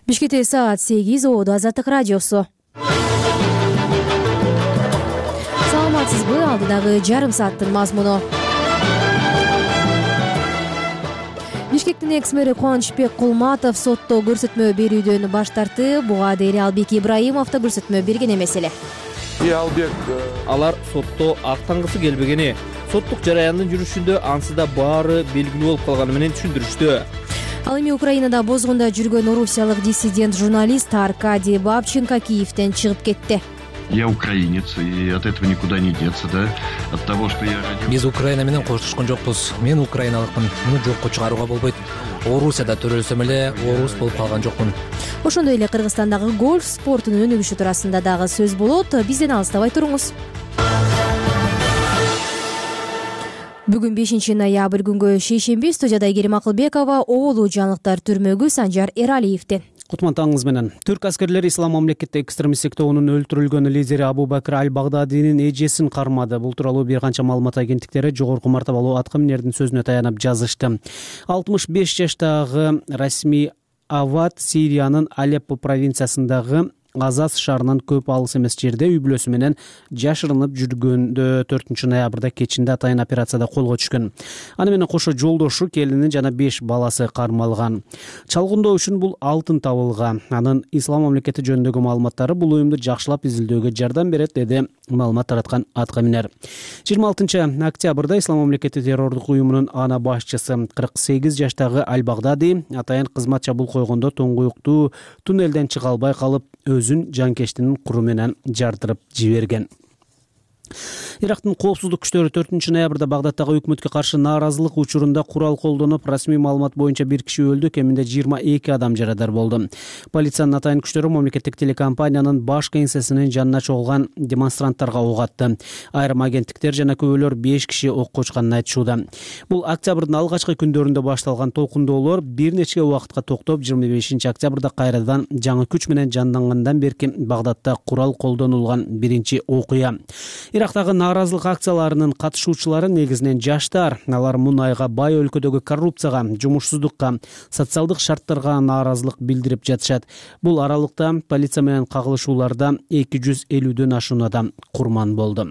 Бишкекте саат 8, Ободо Азаттык радиосу. Саламатсызбы? Алдыдагы жарым сааттын мазмуну. Бишкектин экс-мэри Кубанычбек Кулматов сотто көрсөтмө берүүдөн баш тартты. Буга дейин Албек Ибраимов да көрсөтмө берген эмес эле. Алар сотто актангысы келбегени, соттук жараяндын жүрүшүндө ансыда баары белгилүү болуп калганы менен түшүндүрүштү. Ал эми Украинада бозгунда жүргөн орусиялык диссидент журналист Аркадий Бабченко Киевден чыгып кетти. Я украинец, и от этого никуда не деться, да? От того, что я родился... Биз Украина менен коштошкон жокпуз. Мен украиналыкмын. Муну жокко чыгарууга болбойт. Орусияда төрөлсөм эле орус болуп калган жокмун. Ошондой эле Кыргызстандагы гольф спортунун өнүгүшү туурасында дагы сөз болот. Бизден алыстабай туруңуз. Бүгүн 5-ноябрь күнгө шейшемби студияда Айгерим Акылбекова, Оолу жаңылыктар түрмөгү Санжар Эралиевден. Кутман таңыңыз менен. Түрк аскерлери ислам мамлекетте экстремисттик тобунун өлтүрүлгөн лидери Абу Бакр аль-Багдадинин эжесин кармады. Бул тууралуу бир канча маалымат агенттиктери жогорку мартабалуу аткаминердин сөзүнө таянып жазышты. 65 жаштагы Расми Авад Сириянын Алеппо провинциясындагы Азаз шаарынан көп алыс эмес жерде үй бүлөсү менен жашырынып жүргөндө 4-ноябрда кечинде атайын операцияда колго түшкөн. Аны менен кошо жолдошу, келини жана 5 баласы кармалган. Чалгындоо үчүн бул алтын табылган. Анын ислам мамлекети жөнүндөгү маалыматтары бул уюмду жакшылап изилдөөгө жардам берет, деди маалымат тараткан аткаминер. 26-октябрда ислам мамлекети террордук уюмунун ана башчысы 48 жаштагы Аль-Багдади атайын кызмат чабуул койгондо туңгуюктуу туннелден чыга албай калып өзүн жанкештинин куру менен жардырып жиберген. Ирактын коопсуздук күчтөрү 4-ноябрда Багдадтагы өкмөткө каршы нааразылык учурунда курал колдонуп, расмий маалымат боюнча 1 киши өлдү, кеминде 22 адам жарадар болду. Полициянын атайын күчтөрү мамлекеттик телекомпаниянын баш кеңсесинин жанына чогулган демонстранттарга ок атты. Айрым агенттиктер жана күбөлөр 5 киши окко учканын айтышууда. Бул октябрдын алгачкы күндөрүндө башталган толкундоолор бир нече убакытка токтоп, 25-октябрда кайрадан жаңы күч менен жандангандан берки Багдадта курал колдонулган биринчи окуя. Ирактагы нааразылык акцияларынын катышуучулары негизинен жаштар. Алар мунайга бай өлкөдөгү коррупцияга, жумушсуздукка, социалдык шарттарга нааразылык билдирип жатышат. Бул аралыкта полиция менен кагылышууларда 250дөн ашуун адам курман болду.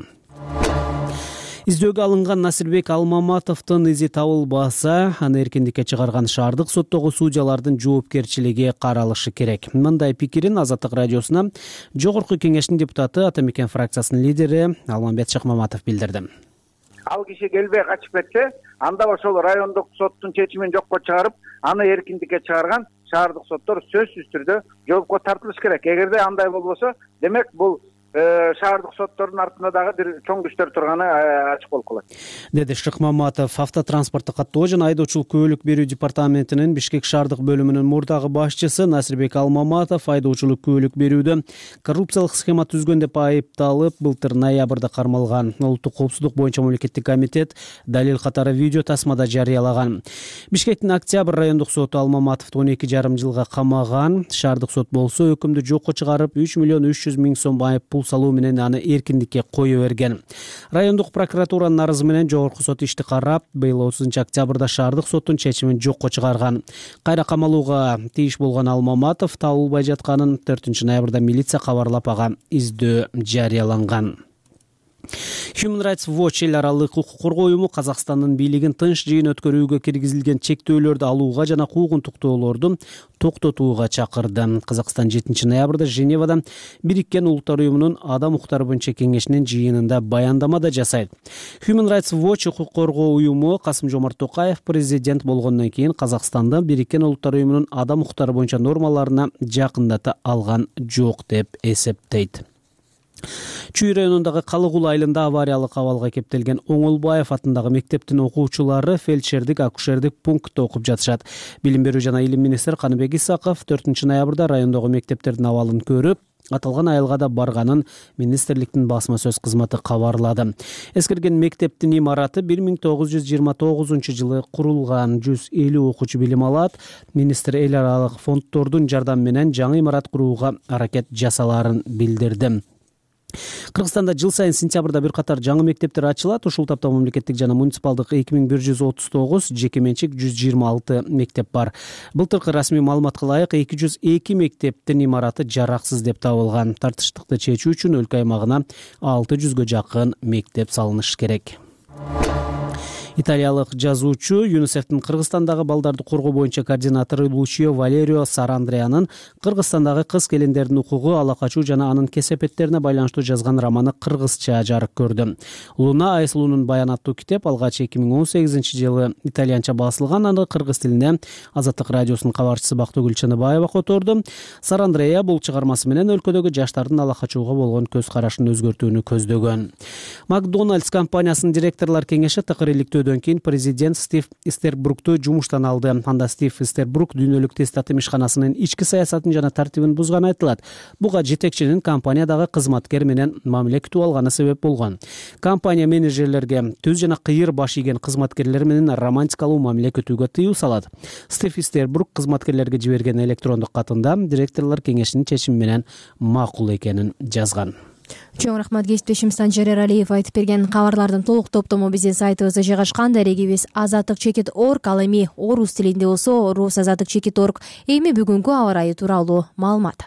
Издөөгө алынган Насирбек Алмаматовдун изи табылбаса, аны эркиндикке чыгарган шаардык соттогу судьялардын жоопкерчилиги каралышы керек. Мындай пикирин Азаттык радиосуна Жогорку кеңештин депутаты, Атамекен фракциясынын лидери Алмамбет Шыкмаматов билдирди. Ал киши келбей качып кетсе, анда ошол райондук соттун чечимин жокко чыгарып, аны эркиндикке чыгарган шаардык соттор сөзсүз түрдө жоопко тартылыш керек. Эгерде андай болбосо, демек бул шаардык соттордун артында дагы бир чоң күчтөр турганы ачык болуп калат, деди Шыкмаматов. Автотранспортту каттоо жана айдоочулук күбөлүк берүү департаментинин Бишкек шаардык бөлүмүнүн мурдагы башчысы Насирбек Алмаматов айдоочулук күбөлүк берүүдө коррупциялык схема түзгөн деп айыпталып, былтыр ноябрда кармалган. Улуттук коопсуздук боюнча мамлекеттик комитет далил катары видео тасмада жарыялаган. Бишкектин Октябрь райондук соту Алмаматовду 12,5 жылга камаган. Шаардык сот болсо өкүмдү жокко чыгарып, 3 миллион 300 миң сом айып пул салуу менен аны эркиндикке кое берген. Райондук прокуратуранын арызы менен жогорку сот ишти карап, быйыл 30-октябрда шаардык соттун чечимин жокко чыгарган. Кайра камалууга тийиш болгон Алмаматов табылбай жатканын 4-ноябрда милиция кабарлап, ага издөө жарыяланган. Human Rights Watch эл аралык укук коргоо уюму Казакстандын бийлигин тынч жыйын өткөрүүгө киргизилген чектөөлөрдү алууга жана куугунтуктоолорду токтотууга чакырды. Казакстан 7-ноябрда Женевада Бириккен Улуттар уюмунун адам укуктары боюнча кеңешинин жыйынында баяндама да жасайт. Human Rights Watch укук коргоо уюму Касым-Жомарт Токаев президент болгондон кийин Казакстанды Бириккен Улуттар уюмунун адам укуктары боюнча нормаларына жакындата алган жок деп эсептейт. Чүй районундагы Калыгул айылында авариялык абалга кептелген Оңолбаев атындагы мектептин окуучулары фельдшердик, акушердик пунктта окуп жатышат. Билим берүү жана илим министри Каныбек Исаков 4-ноябрда райондогу мектептердин абалын көрүп, аталган айылга да барганын министрликтин басма сөз кызматы кабарлады. Эскерген мектептин имараты 1929-жылы курулган, 150 окуучу билим алат. Министр эл аралык фонддордун жардамы менен жаңы имарат курууга аракет жасаларын билдирди. Кыргызстанда жыл сайын сентябрда бир катар жаңы мектептер ачылат. Ушул тапта мамлекеттик жана муниципалдык 2139, жеке менчик 126 мектеп бар. Былтыркы расмий маалыматка ылайык 202 мектептин имараты жараксыз деп табылган. Тартыштыкты чечүү үчүн өлкө аймагына 600гө жакын мектеп салынышы керек. Италиялык жазуучу ЮНИСЕФтин Кыргызстандагы балдарды коргоо боюнча координатору Лучио Валерио Сарандреянын Кыргызстандагы кыз келиндердин укугу, ала качуу жана анын кесепеттерине байланыштуу жазган романы кыргызча жарык көрдү. Луна Айсулунун баян аттуу китеп алгач 2018-жылы итальянча басылган. Аны кыргыз тилине Азаттык радиосунун кабарчысы Бактыгүл Чыныбаева которду. Сарандрея бул чыгармасы менен өлкөдөгү жаштардын ала качууга болгон көз карашын өзгөртүүнү көздөгөн. Макдоналдс компаниясынын директорлор кеңеши такыр иликтөө кийин президент Стив Истербрукту жумуштан алды. Анда Стив Истербрук дүйнөлүк тестат ишканасынын ички саясатын жана тартибин бузганы айтылат. Буга жетекчинин компаниядагы кызматкер менен мамиле күтүп алганы себеп болгон. Компания менеджерлерге түз жана кыйыр баш ийген кызматкерлер менен романтикалуу мамиле күтүүгө тыюу салат. Стив Истербрук кызматкерлерге жиберген электрондук катында директорлор кеңешинин чечими менен макул экенин жазган. Чоң рахмат. Кесиптешим Санжар Эралиев айтып берген кабарлардын толук топтому биздин сайтыбызда жайгашкан. Дарегибиз azattikchekit.org. Ал эми орус тилинде болсо rusazattikchekit.org. Эми бүгүнкү аба ырайы тууралуу маалымат.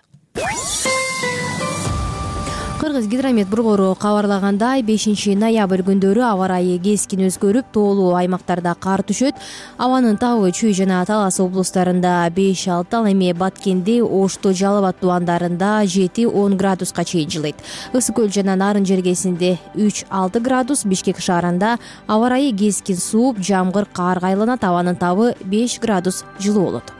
Кыргыз гидромет борбору кабарлагандай 5-ноябрь күндөрү аба ырайы кескин өзгөрүп, тоолуу аймактарда кар түшөт. Абанын табы Чүй жана Талас облустарында 5-6, ал эми Баткенде, Ошто, Жалал Абад тубандарында 7-10 градуска чейин жылыйт. Ысык көл жана Нарын жергесинде 3-6 градус, Бишкек шаарында аба ырайы кескин сууп, жамгыр, карга айланат. Абанын табы 5 градус жылуу болот.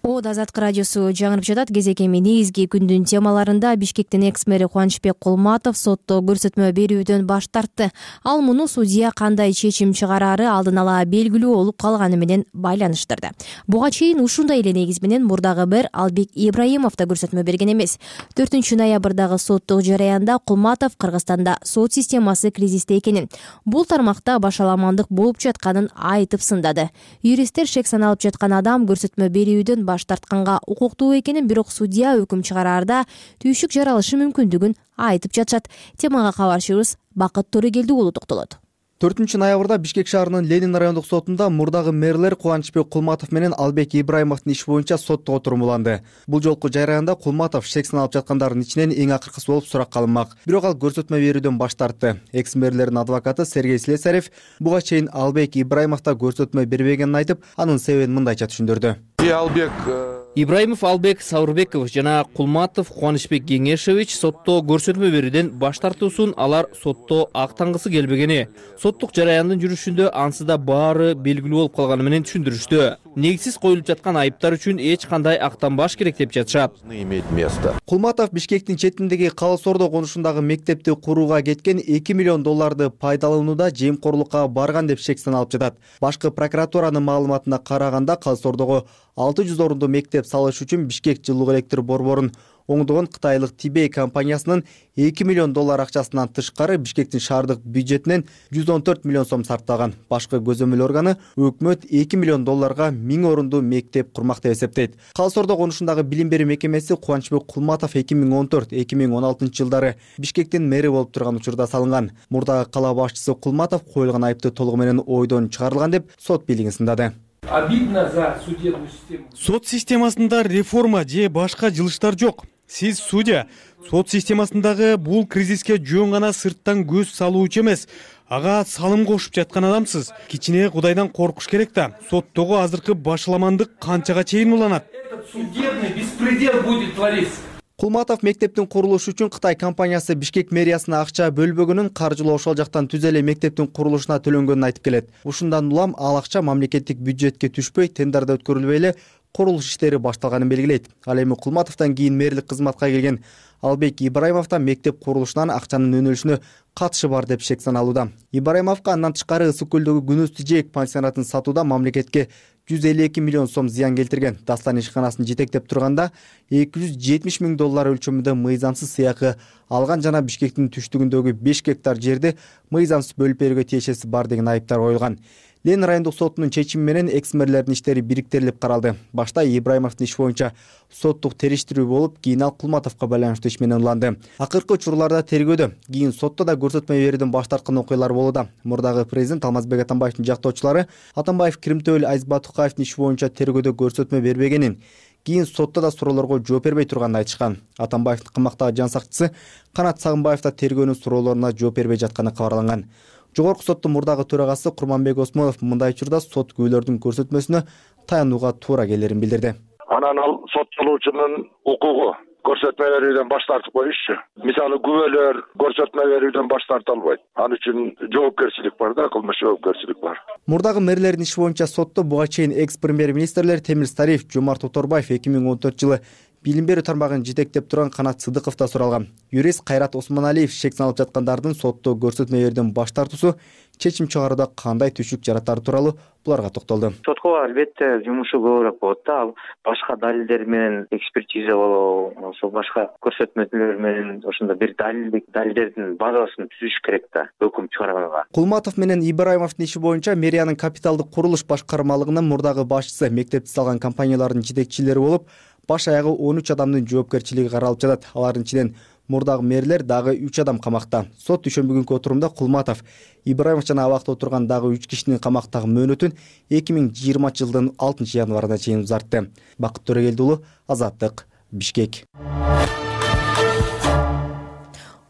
Азаттык радиосу жаңырып жатат. Кезекеми негизги күндүн темаларында Бишкектин экс-мэри Кубанычбек Кулматов сотто көрсөтмө берүүдөн баш тартты. Ал муну судья кандай чечим чыгарары алдын ала белгилүү болуп калганы менен байланыштырды. Буга чейин ушундай эле негиз менен мурдагы мэр Албек Ибраимов да көрсөтмө берген эмес. 4-ноябрдагы соттук жараянда Кулматов Кыргызстанда сот системасы кризисте экенин, бул тармакта башаламандык болуп жатканын айтып сындады. Юристтер шек саналып жаткан адам көрсөтмө берүүдөн баш тартканга укуктуу экенин, бирок судья өкүм чыгараарда түйшүк жаралышы мүмкүндүгүн айтып жатышат. Темага кабарчыбыз Бакыт Торегелди уулу токтолот. 4-ноябрда Бишкек шаарынын Ленин райондук сотунда мурдагы мэрлер Кубанычбек Кулматов менен Албек Ибраимовдун иши боюнча сотто отурумуланды. Бул жолку жараянда Кулматов шек саналып жаткандардын ичинен эң акыркысы болуп суракка алынмак. Бирок ал көрсөтмө берүүдөн баш тартты. Экс-мэрлердин адвокаты Сергей Слесарев буга чейин Албек Ибраимов да көрсөтмө бербегенин айтып, анын себебин мындайча түшүндүрдү. Ибраимов Албек Саурбекович жана Кулматов Кубанычбек Кеңешевич сотто көрсөтмө берүүдөн баш тартуусун алар сотто актангысы келбегени, соттук жараяндын жүрүшүндө ансыда баары белгилүү болуп калганы менен түшүндүрүштү. Негизсиз коюлуп жаткан айыптар үчүн эч кандай актанбаш керек деп жатышат. Кулматов Бишкектин четиндеги Калыс-Ордо конушундагы мектепти курууга кеткен $2 миллион пайдаланууда жемкорлукка барган деп шек саналып жатат. Башкы прокуратуранын маалыматына караганда Калыс-Ордого 600 орундуу мектеп салыш үчүн Бишкек жылуу электр борборун оңдогон кытайлык Тибей компаниясынын $2 миллион акчасынан тышкары Бишкектин шаардык бюджетинен 114 миллион сом сарптаган. Башкы көзөмөл органы өкмөт $2 миллион 1000 орундуу мектеп курмак деп эсептейт. Калыс-Ордо конушундагы билим берүү мекемеси Кубанычбек Кулматов 2014-2016 жылдары Бишкектин мэри болуп турган учурда салынган. Мурдагы кала башчысы Кулматов коюлган айыпты толугу менен ойдон чыгарылган деп сот бийлигин сындады. Обидно за судебную систему. Сот системасында реформа же башка жылыштар жок. Сиз судья, сот системасындагы бул кризиске жөн гана сырттан көз салуучу эмес, ага салым кошуп жаткан адамсыз. Кичине Кудайдан коркуш керек да. Соттогу азыркы башаламандык канчага чейин уланат? Этот судебный беспредел будет твориться. Кулматов мектептин курулушу үчүн Кытай компаниясы Бишкек мэриясына акча бөлбөгөнүн, каржылоо ошол жактан түз эле мектептин курулушуна төлөнгөнүн айтып келет. Ушундан улам ал акча мамлекеттик бюджетке түшпөй, тендерде өткөрүлбөй эле курулуш иштери башталганын белгилейт. Ал эми Кулматовдон кийин мэрлик кызматка келген Албек Ибраимовдо мектеп курулушунан акчанын өнүлүшүнө катышы бар деп шек саналууда. Ибраимовго андан тышкары Ысык көлдөгү Күнөз Тижеек пансионатын сатууда мамлекетке 152 миллион сом зыян келтирген. Дастан ишканасын жетектеп турганда $270 миң өлчөмүндө мыйзамсыз сыйакы алган жана Бишкектин түштүгүндөгү 5 гектар жерди мыйзамсыз бөлүп берүүгө тиешеси бар деген айыптар коюлган. Ленин райондук сотунун чечими менен экс-мэрлердин иштери бириктирилип каралды. Башта Ибраимовдун иши боюнча соттук териштирүү болуп, кийин ал Кулматовго байланыштуу иш менен уланды. Акыркы учурларда тергөөдө, кийин сотто да көрсөтмө берүүдөн баш тарткан окуялар болууда. Мурдагы президент Алмазбек Атамбаевдин жактоочулары Атамбаев Киримтөбөл Азиз Батукаевдин иши боюнча тергөөдө көрсөтмө бербегенин, кийин сотто да суроолорго жооп бербей турганын айтышкан. Атамбаевдин кымактагы жан сакчысы Канат Сагынбаев да тергөөнүн суроолоруна жооп бербей жатканы кабарланган. Жогорку соттун мурдагы төрагасы Курманбек Осмонов мындай учурда сот күбөлөрдүн көрсөтмөсүнө таянууга туура келерин билдирди. Анан ал соттолуучунун укугу көрсөтмө берүүдөн баш тартып коюшчу. Мисалы күбөлөр көрсөтмө берүүдөн баш тарта албайт. Ал үчүн жоопкерчилик бар да, кылмыш жоопкерчилик бар. Мурдагы мэрлердин иши боюнча сотто буга чейин экс-премьер-министрлер Темир Стариев, Жомарт Оторбаев 2014 жылы билим берүү тармагын жетектеп турган Канат Сыдыков да суралган. Юрист Кайрат Осмоналиев шек салып жаткандардын сотто көрсөтмө берүүдөн баш тартуусу чечим чыгарууда кандай түшүк жаратары тууралуу буларга токтолду. Сотко албетте жумушу көбүрөөк болот да. Ал башка далилдер менен экспертиза болобу, ошо башка көрсөтмөлөр менен ошондо бир далилдердин базасын түзүш керек да өкүм чыгарганга. Кулматов менен Ибраимовдун иши боюнча мэриянын капиталдык курулуш башкармалыгынын мурдагы башчысы, мектепти салган компаниялардын жетекчилери болуп, баш аягы 13 адамдын жоопкерчилиги каралып жатат. Алардын ичинен мурдагы мэрлер дагы 3 адам камакта. Сот дүйшөмбү күнкү отурумда Кулматов, Ибраимов жана абакта отурган дагы 3 кишинин камактагы мөөнөтүн 2020 жылдын 6 январына чейин узартты. Бакыт Төрөгелди уулу, Азаттык, Бишкек.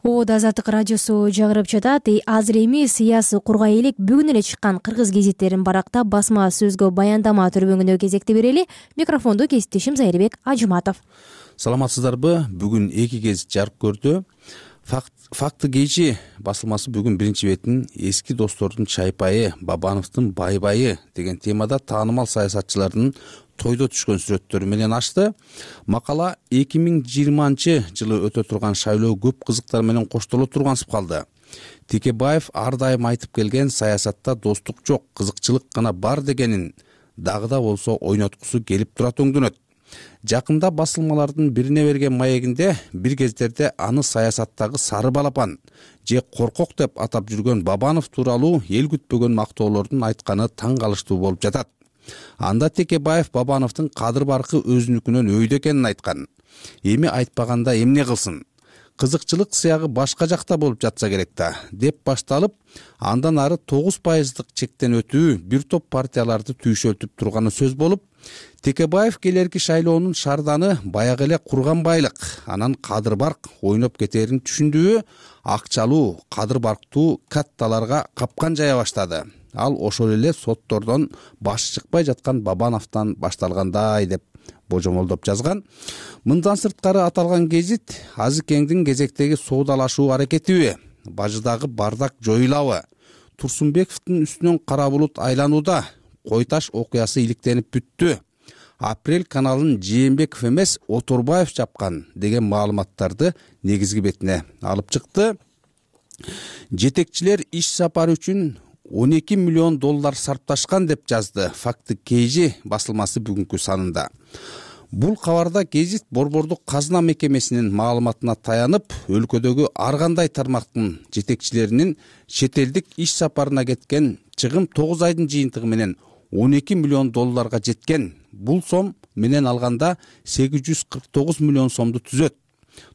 Азаттык радиосу жагырып жатат. Азыр эми сыясый кургай элек бүгүн эле чыккан кыргыз гезиттерин барактап басма сөзгө баяндама төрбөңүнө кезекти берели. Микрофонду кесиптешим Зайырбек Ажыматов. Саламатсыздарбы? Бүгүн 2 гезит жарык көрдү. Факты кечи басылмасы бүгүн биринчи бетин эски достордун чайпайы, Бабановдун байбайы деген темада таанымал саясатчылардын тойдо түшкөн сүрөттөрү менен ачты. Макала 2020 жылы өтө турган шайлоо көп кызыктар менен коштоло тургансып калды. Текебаев ар дайым айтып келген саясатта достук жок, кызыкчылык гана бар дегенин дагы да болсо ойноткусу келип турат өңдөнөт. Жакында басылмалардын бирине берген маегинде бир кездерде аны саясаттагы сары балапан же коркок деп атап жүргөн Бабанов тууралуу эл күтпөгөн мактоолордун айтканы таң калыштуу болуп жатат. Анда Текебаев Бабановдун кадыр баркы өзүнүкүнөн өйдө экенин айткан. Эми айтпаганда эмне кылсын? Кызыкчылык сыягы башка жакта болуп жатса керек да, деп башталып, андан ары 9% чектен өтүү бир топ партияларды түйшөлтүп турганы сөз болуп, Текебаев келерки шайлоонун шарданы баягы эле курган байлык, анан кадыр барк ойноп кетерин түшүндүбү, акчалуу, кадыр барктуу катталарга капкан жая баштады. Ал ошол эле соттордон башы чыкпай жаткан Бабановдон башталгандай деп божомолдоп жазган. Мындан сырткары аталган гезит Азыкеңдин кезектеги соодалашуу аракетиби, бажыдагы бардак жоюлабы, Турсунбековдун үстүнөн кара булут айланууда, Кой таш окуясы иликтенип бүттү, Апрель каналын Жээнбеков эмес Оторбаев чапкан деген маалыматтарды негизги бетине алып чыкты. Жетекчилер иш сапары үчүн $12 миллион сарпташкан деп жазды Факты Кейжи басылмасы бүгүнкү санында. Бул кабарда гезит Борбордук казына мекемесинин маалыматына таянып, өлкөдөгү ар кандай тармактын жетекчилеринин чет элдик иш сапарына кеткен чыгым 9 айдын жыйынтыгы менен $12 миллион жеткен. Бул сом менен алганда 849 миллион сомду түзөт.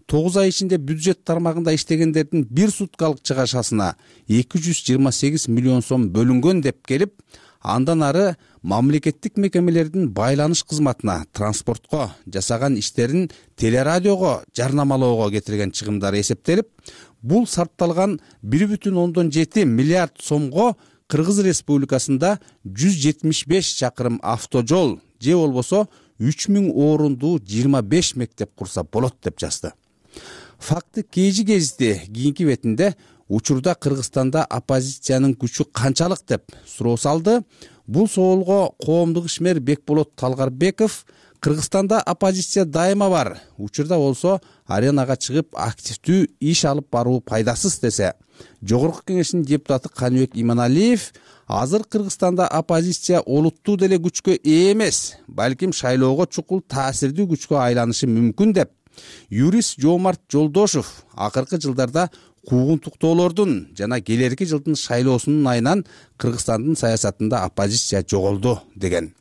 9 ай ичинде бюджет тармагында иштегендердин бир суткалык чыгашасына 228 миллион сом бөлүнгөн деп келип, андан ары мамлекеттик мекемелердин байланыш кызматына, транспортко жасаган иштерин телерадиого жарнамалоого кетирген чыгымдары эсептелип, бул сарпталган 1,7 миллиард сомго Кыргыз Республикасында 175 чакырым автожол же болбосо 3000 орундуу 25 мектеп курса болот деп жазды. Факты Кейжи гезити кийинки бетинде учурда Кыргызстанда оппозициянын күчү канчалык деп суроо салды. Бул соолго коомдук ишмер Бекболот Талгарбеков Кыргызстанда оппозиция дайыма бар, учурда болсо аренага чыгып активдүү иш алып баруу пайдасыз десе, Жогорку кеңештин депутаты Каныбек Иманалиев азыр Кыргызстанда оппозиция олуттуу деле күчкө ээ эмес, балким шайлоого чукул таасирдүү күчкө айланышы мүмкүн деп, юрист Жомарт Жолдошов акыркы жылдарда куугунтуктоолордун жана келерки жылдын шайлоосунун айынан Кыргызстандын саясатында оппозиция жоголду деген.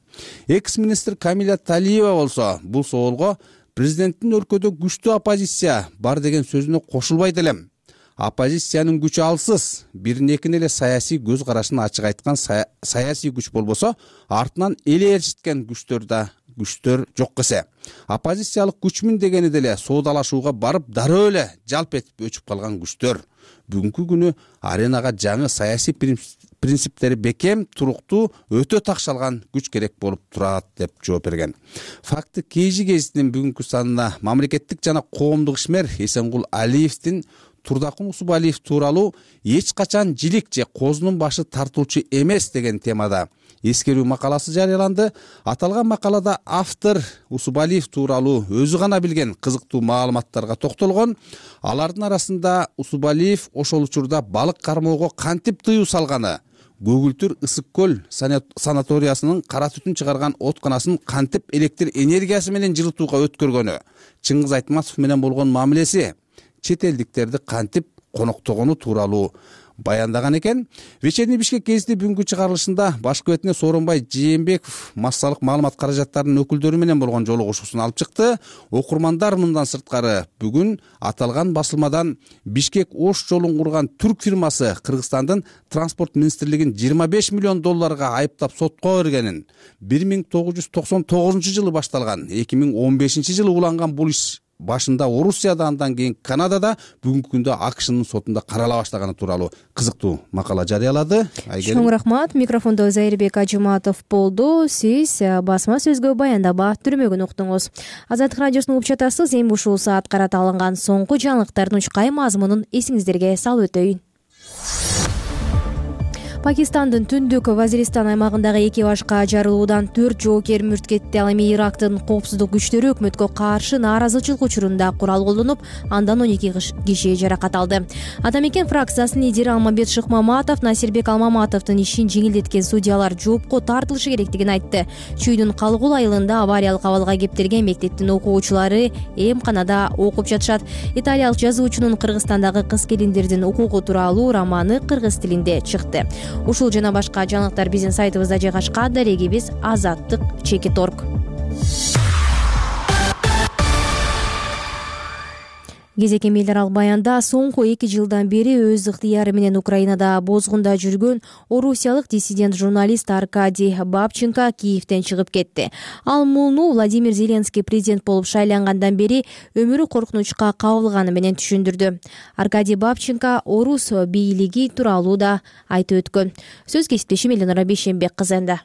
Экс-министр Камиля Талиева болсо бул соолго президенттин өлкөдө күчтүү оппозиция бар деген сөзүнө кошулбайт элем. Оппозициянын күчү алсыз, бирин-экин эле саясий көз карашын ачык айткан саясий күч болбосо, артынан эле ээрчиткен күчтөр жок эсе. Оппозициялык күчмүн дегени деле соодалашууга барып дароо эле жалп этип өчүп калган күчтөр. Бүгүнкү күнү аренага жаңы саясий принциптери бекем, туруктуу, өтө такшалган күч керек болуп турат деп жооп берген. Факты KG гезитинин бүгүнкү санына мамлекеттик жана коомдук ишмер Эсенгул Алиевдин Турдакун Усубалиев тууралуу эч качан жилик же козунун башы тартуучу эмес деген темада эскерүү макаласы жарыяланды. Аталган макалада автор Усубалиев тууралуу өзү гана билген кызыктуу маалыматтарга токтолгон. Алардын арасында Усубалиев ошол учурда балык кармоого кантип тыюу салганы, Көгүлтүр ысык көл санаториясынын кара түтүн чыгарган отканасын кантип электр энергиясы менен жылытууга өткөргөнү, Чыңгыз Айтматов менен болгон мамилеси, чет элдиктерди кантип коноктогону тууралуу баяндаган экен. Вечерний Бишкек гезити бүгүнкү чыгарылышында башкы бетине Сооронбай Жээнбеков массалык маалымат каражаттарынын өкүлдөрү менен болгон жолугушуусун алып чыкты. Окурмандар мындан сырткары бүгүн аталган басылмадан Бишкек Ош жолун курган түрк фирмасы Кыргызстандын транспорт министрлигин $25 миллион айыптап сотко бергенин, 1999 жылы башталган, 2015 жылы уланган бул иш башында Орусияда, андан кийин Канадада, бүгүнкү күндө АКШнын сотунда карала баштаганы тууралуу кызыктуу макала жарыялады. Чоң рахмат. Микрофондо Зайырбек Ажыматов болду. Сиз басма сөзгө баяндама түрмөгүн уктуңуз. Азаттык радиосунун угуп жатасыз. Эми ушул саат карата алынган соңку жаңылыктардын учкай мазмунун эсиңиздерге салып өтөйүн. Пакистандын түндүк Вазиристан аймагындагы экипажга жарылуудан 4 жоокер мүрт кетти. Ал эми Ирактын коопсуздук күчтөрү өкмөткө каршы нааразычылык учурунда курал колдонуп, андан 12 киши жаракат алды. Атамекен фракциясынын лидери Алмамбет Шыкмаматов Насирбек Алмаматовдун ишин жеңилдеткен судьялар жоопко тартылышы керектигин айтты. Чүйдүн Калгул айылында авариялык абалга кептелген мектептин окуучулары эмканада окуп жатышат. Италиялык жазуучунун Кыргызстандагы кыз-келиндердин укугу тууралуу романы кыргыз тилинде чыкты. Ушул жана башка жаңылыктар биздин сайтыбызда жайгашкан. Дарегибиз azаттык.org. Кезек эмейлер ал баянда соңку 2 жылдан бери өз ыктыяры менен Украинада бозгунда жүргөн орусиялык диссидент журналист Аркадий Бабченко Киевден чыгып кетти. Ал муну Владимир Зеленский президент болуп шайлангандан бери өмүрү коркунучка кабылганы менен түшүндүрдү. Аркадий Бабченко орус бийлиги тууралуу да айтып өткөн. Сөз кесиптешим Эленора Бейшенбек кызында.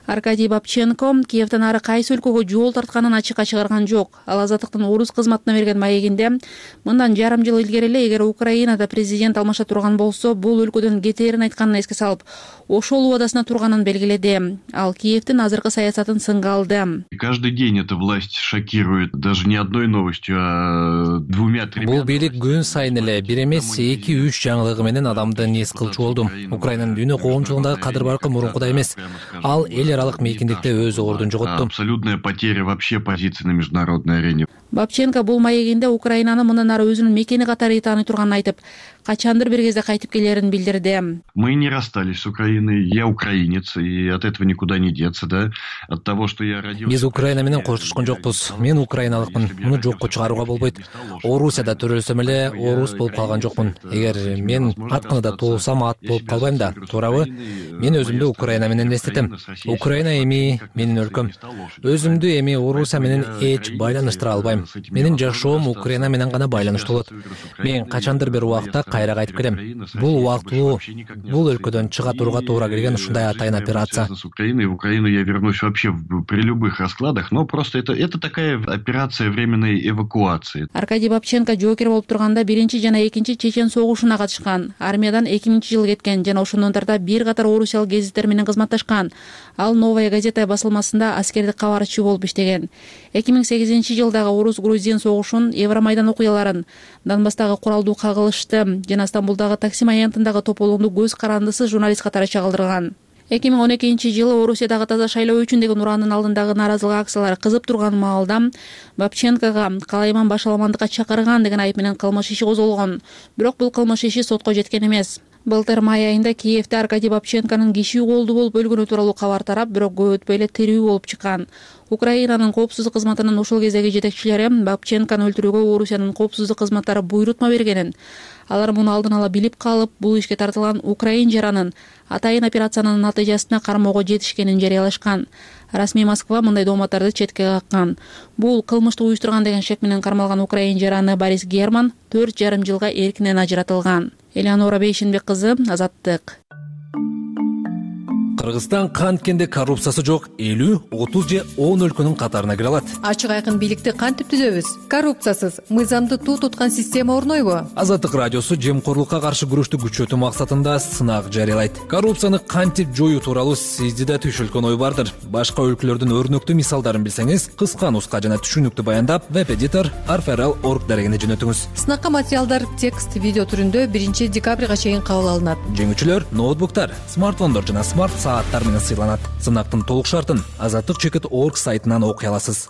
Аркадий Бабченко Киевден ары кайсы өлкөгө жол тартканын ачыкка чыгарган жок. Ал Азаттыктын орус кызматына берген маегинде мындан жарым жыл илгери эле эгер Украинада президент алмаша турган болсо, бул өлкөдөн кетээрин айтканын эске салып, ошол убадасына турганын белгиледи. Ал Киевдин азыркы саясатын сынга алды. Каждый день эта власть шокирует, даже не одной новостью, а 2-3. Бул бийлик күн сайын эле бир эмес 2-3 жаңылыгы менен адамды нес кылчу болду. Украинанын дүйнө коомчулугундагы кадыр баркы мурункудай эмес. Ал эл аралык мейкиндикте өз ордун жоготту. Абсолютная потеря вообще позиции на международной арене. Бабченко бул маегинде Украинаны мындан ары өзүнүн мекени катары тааный турганын айтып, качандыр бир кезде кайтып келерин билдирди. Мы не расстались с Украиной. Я украинец, и от этого никуда не деться, да? От того, что я родился. Биз Украина менен коштошкон жокпуз. Мен украиналыкмын. Муну жокко чыгарууга болбойт. Орусияда төрөлсөм эле орус болуп калган жокмун. Эгер мен атканада туулсам ат болуп калбайм да, туурабы? Мен өзүмдү Украина менен эстетем. Украина эми менин өлкөм. Өзүмдү эми Орусия менен эч байланыштыра албайм. Менин жашоом Украина менен гана байланыштуу болот. Мен качандыр бир убакта кайра кайтып келем. Бул убактылуу, бул өлкөдөн чыга турууга туура келген ушундай атайын операция. С Украины в Украину я вернусь вообще при любых раскладах, но просто это такая операция временной эвакуации. Аркадий Бабченко жоокер болуп турганда 1 жана 2 чечен согушуна катышкан. Армиядан 2000-жылы кеткен жана ошондон тарта бир катар орусиялык гезиттер менен кызматташкан. Ал Новая газета басылмасында аскердик кабарчы болуп иштеген. 2008-жылдагы орус-грузин согушун, Евромайдан окуяларын, Донбасстагы куралдуу кагылышты жана Стамбулдагы Таксим аянтындагы тополууну көз карандысыз журналист катары чагылдырган. 2012-жылы Орусиядагы таза шайлоо үчүн деген ураандын алдындагы нааразылык акциялары кызып турган маалда Бабченкага калайман башаламандыкка чакырган деген айып менен кылмыш иши козголгон. Бирок бул кылмыш иши сотко жеткен эмес. Былтыр май айында Киевде Аркадий Бабченконун киши колду болуп өлгөнү тууралуу кабар тарап, бирок көп өтпөй эле тирүү болуп чыккан. Украинанын коопсуздук кызматынын ушул кездеги жетекчилери Бабченкону өлтүрүүгө Орусиянын коопсуздук кызматтары буйрутма бергенин, алар муну алдын ала билип калып, бул ишке тартылган украин жаранын атайын операциянын натыйжасында кармоого жетишкенин жарыялашкан. Расмий Москва мындай дооматтарды четке каккан. Бул кылмышты уюштурган деген шек менен кармалган украин жараны Борис Герман 4,5 жылга эркинен ажыратылган. Элеонора Бейшенбек кызы, Азаттык. Кыргызстан канткенде коррупциясы жок 50, 30 же 10 өлкөнүн катарына кире алат. Ачык айкын бийликти кантип түзөбүз? Коррупциясыз, мыйзамды туу туткан система орнойбу? Азаттык радиосу жемкорлукка каршы күрөштү күчөтүү максатында сынак жарыялайт. Коррупцияны кантип жоюу тууралуу сизде да түйшөлгөн ой бардыр. Башка өлкөлөрдүн өрнөктүү мисалдарын билсеңиз, кыска нуска жана түшүнүктүү баяндап, веб-эдитор arferal.org дарегине жөнөтүңүз. Сынакка материалдар текст, видео түрүндө 1 декабрга чейин кабыл алынат. Жеңүүчүлөр ноутбуктар, смартфондор жана смарт сааттар менен сыйланат. Сынактын толук шартын azattik.org сайтынан окуй аласыз.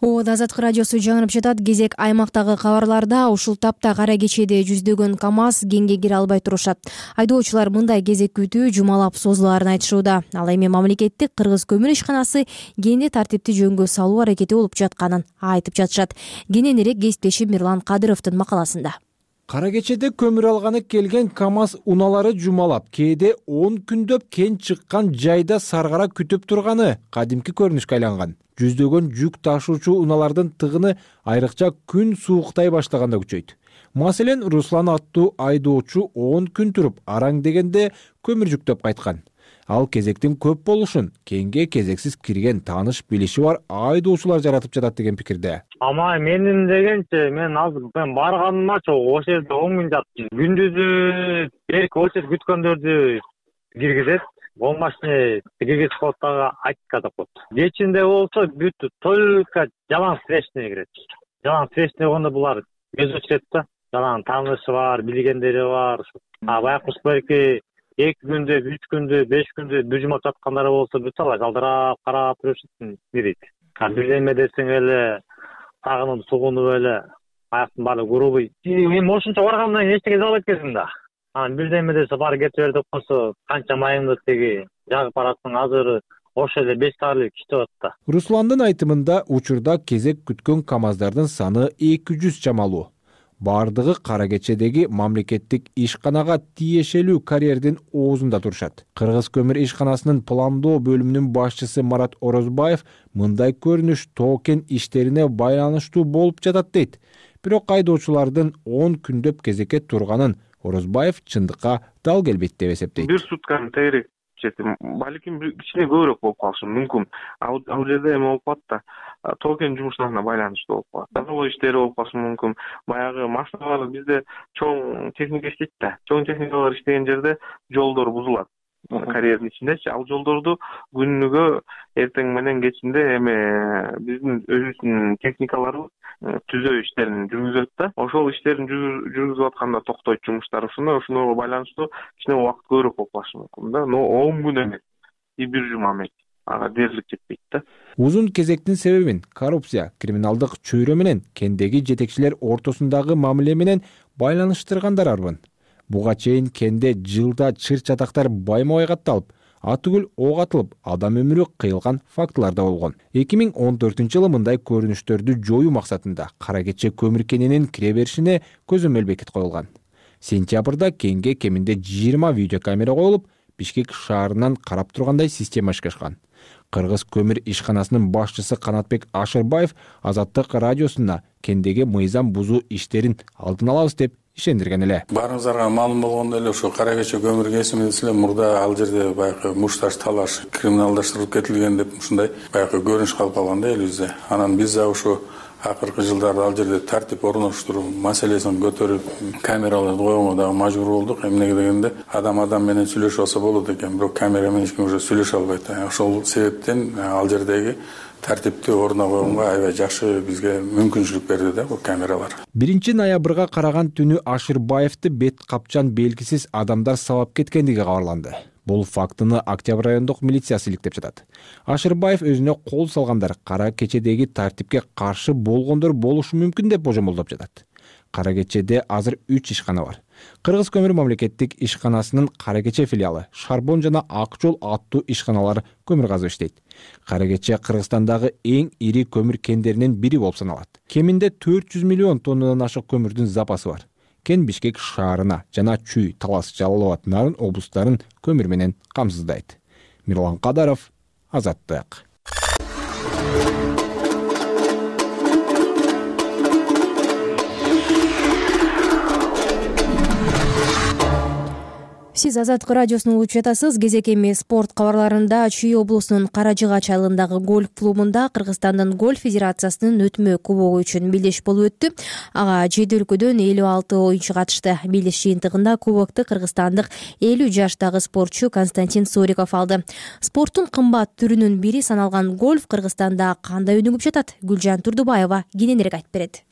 Азаттык радиосу жаңырып жатат. Кезек аймактагы кабарларда. Ушул тапта Кара Кечеде жүздөгөн КАМАЗ кеңге кире албай турушат. Айдоочулар мындай кезек күтүү жумалап созулаарын айтышууда. Ал эми мамлекеттик Кыргыз көмүр ишканасы кенде тартипти жөнгө салуу аракети болуп жатканын айтып жатышат. Кененирээк кесиптешим Мирлан Кадыровдун макаласында. Кара Кечеде көмүр алганы келген КАМАЗ унаалары жумалап, кээде 10 күндөп кен чыккан жайда саргара күтүп турганы кадимки көрүнүшкө айланган. Жүздөгөн жүк ташуучу унаалардын тыгыны айрыкча күн сууктай баштаганда күчөйт. Маселен, Руслан аттуу айдоочу 10 күн туруп, араң дегенде көмүр жүктөп кайткан. Ал кезектин көп болушун кенге кезексиз кирген тааныш билиши бар айдоочулар жаратып жатат деген пикирде. Ама менин дегенче, мен азыр барганымачы ошол жерде 10 күн жаттым. Күндүзү берки очередь күткөндөрдү киргизет. Болмашне киргизип коет дагы айтка деп коет. Кечинде болсо бүт только жалаң встречный кирет. Жалаң встречный болгондо булар көз очурет да. Жалаң таанышы бар, билгендери бар. Баякы берки 2 күндө, 3 күндө, 5 күндө бүжүмөп жаткандары болсо бүт алар жалдырап карап жүрүшөт кирет. Билдеме десең эле, сагынып сугунуп эле, аяктын баары грубый. Мен ошончо баргандан кийин эчтеке албайт экенсиң да. Билдеме десе бар кетип бер деп койсо, канча майыңды теги жагып барасың, азыр ошо эле 5 саат кетип атат. Русландын айтымында учурда кезек күткөн КАМАЗдардын саны 200 чамалуу. Бардыгы Кара Кечедеги мамлекеттик ишканага тиешелүү карьердин оозунда турушат. Кыргыз көмүр ишканасынын пландоо бөлүмүнүн башчысы Марат Орозбаев мындай көрүнүш токен иштерине байланыштуу болуп жатат дейт. Бирок айдоочулардын 10 күндөп кезекке турганын Орозбаев чындыкка дал келбейт деп эсептейт. Бир сутканы тегерек жетим. Балким кичине көбүрөөк болуп калышы мүмкүн. Ал жерде эме болуп калат да. Токен жумуштарына байланыштуу болуп калат. Завод иштери болуп калышы мүмкүн. Баягы машиналар бизде чоң техника иштейт да. Чоң техникалар иштеген жерде жолдор бузулат. Карьердин ичиндечи. Ал жолдорду күнүгө эртең менен кечинде эме биздин өзүбүздүн техникаларыбыз түзөө иштерин жүргүзөт да. Ошол иштерин жүргүзүп атканда токтойт жумуштар. Ошонго байланыштуу кичине убакыт көбүрөөк болуп калышы мүмкүн да. Но 10 күн эмес. Бир жума эмес. Ага дээрлик жетпейт да. Узун кезектин себебин коррупция, криминалдык чөйрө менен кендеги жетекчилер ортосундагы мамиле менен байланыштыргандар арбын. Буга чейин кенде жылда чыр-чатактар байма-бай катталып, атүгүл ок атылып, адам өмүрү кыйылган фактылар да болгон. 2014-жылы мындай көрүнүштөрдү жоюу максатында Кара Кече көмүр кенинин кире беришине көзөмөл бекит коюлган. Сентябрда кенге кеминде 20 видеокамера коюлуп, Бишкек шаарынан карап тургандай система ишкашкан. Кыргыз көмүр ишканасынын башчысы Канатбек Ашырбаев Азаттык радиосуна кендеги мыйзам бузуу иштерин алдын алабыз деп ишендирген эле. Баарыңыздарга маалым болгондой эле ошо Кара Кече көмүр кесиминде эле мурда ал жерде баягы мушташ талаш криминалдаштырылып кетилген деп ушундай баягы көрүнүш калып калган да элибизде. Анан биз да ошо акыркы жылдарда ал жерде тартип орноштуруу маселесин көтөрүп камераларды койгонго дагы мажбур болдук. Эмнеге дегенде адам менен сүйлөшүп алса болот экен, бирок камера менен эч ким уже сүйлөшө албайт. Ошол себептен ал жердеги тартипти ордуна койгонго аябай жакшы бизге мүмкүнчүлүк берди да бул камералар. 1 ноябрга караган түнү Ашырбаевди бет капчан белгисиз адамдар сабап кеткендиги кабарланды. Бул фактыны Октябрь райондук милициясы иликтеп жатат. Ашырбаев өзүнө кол салгандар кара кечедеги тартипке каршы болгондор болушу мүмкүн деп божомолдоп жатат. Кара кечеде азыр 3 ишкана бар. Кыргыз көмүр мамлекеттик ишканасынын Кара кече филиалы, Шарбон жана Ак жол аттуу ишканалар көмүр казып иштейт. Кара кече Кыргызстандагы эң ири көмүр кендеринин бири болуп саналат. Кеминде 400 миллион тоннадан ашык көмүрдүн запасы бар. Кен Бишкек шаарына жана Чүй, Талас, Жалал Абад, Нарын облустарын көмүр менен камсыздайт. Мирлан Кадаров, Азаттык. Сиз Азаттык радиосун угуп жатасыз. Кезек эми спорт кабарларында Чүй облусунун Кара Жыгач айылындагы гольф клубунда Кыргызстандын гольф федерациясынын өтмө кубогу үчүн белдеш болуп өттү. Ага 7 өлкөдөн 56 оюнчу катышты. Белдеш жыйынтыгында кубокту кыргызстандык 50 жаштагы спортчу Константин Суриков алды. Спорттун кымбат түрүнүн бири саналган гольф Кыргызстанда кандай өнүгүп жатат? Гүлжан Турдубаева кененирээк айтып берет.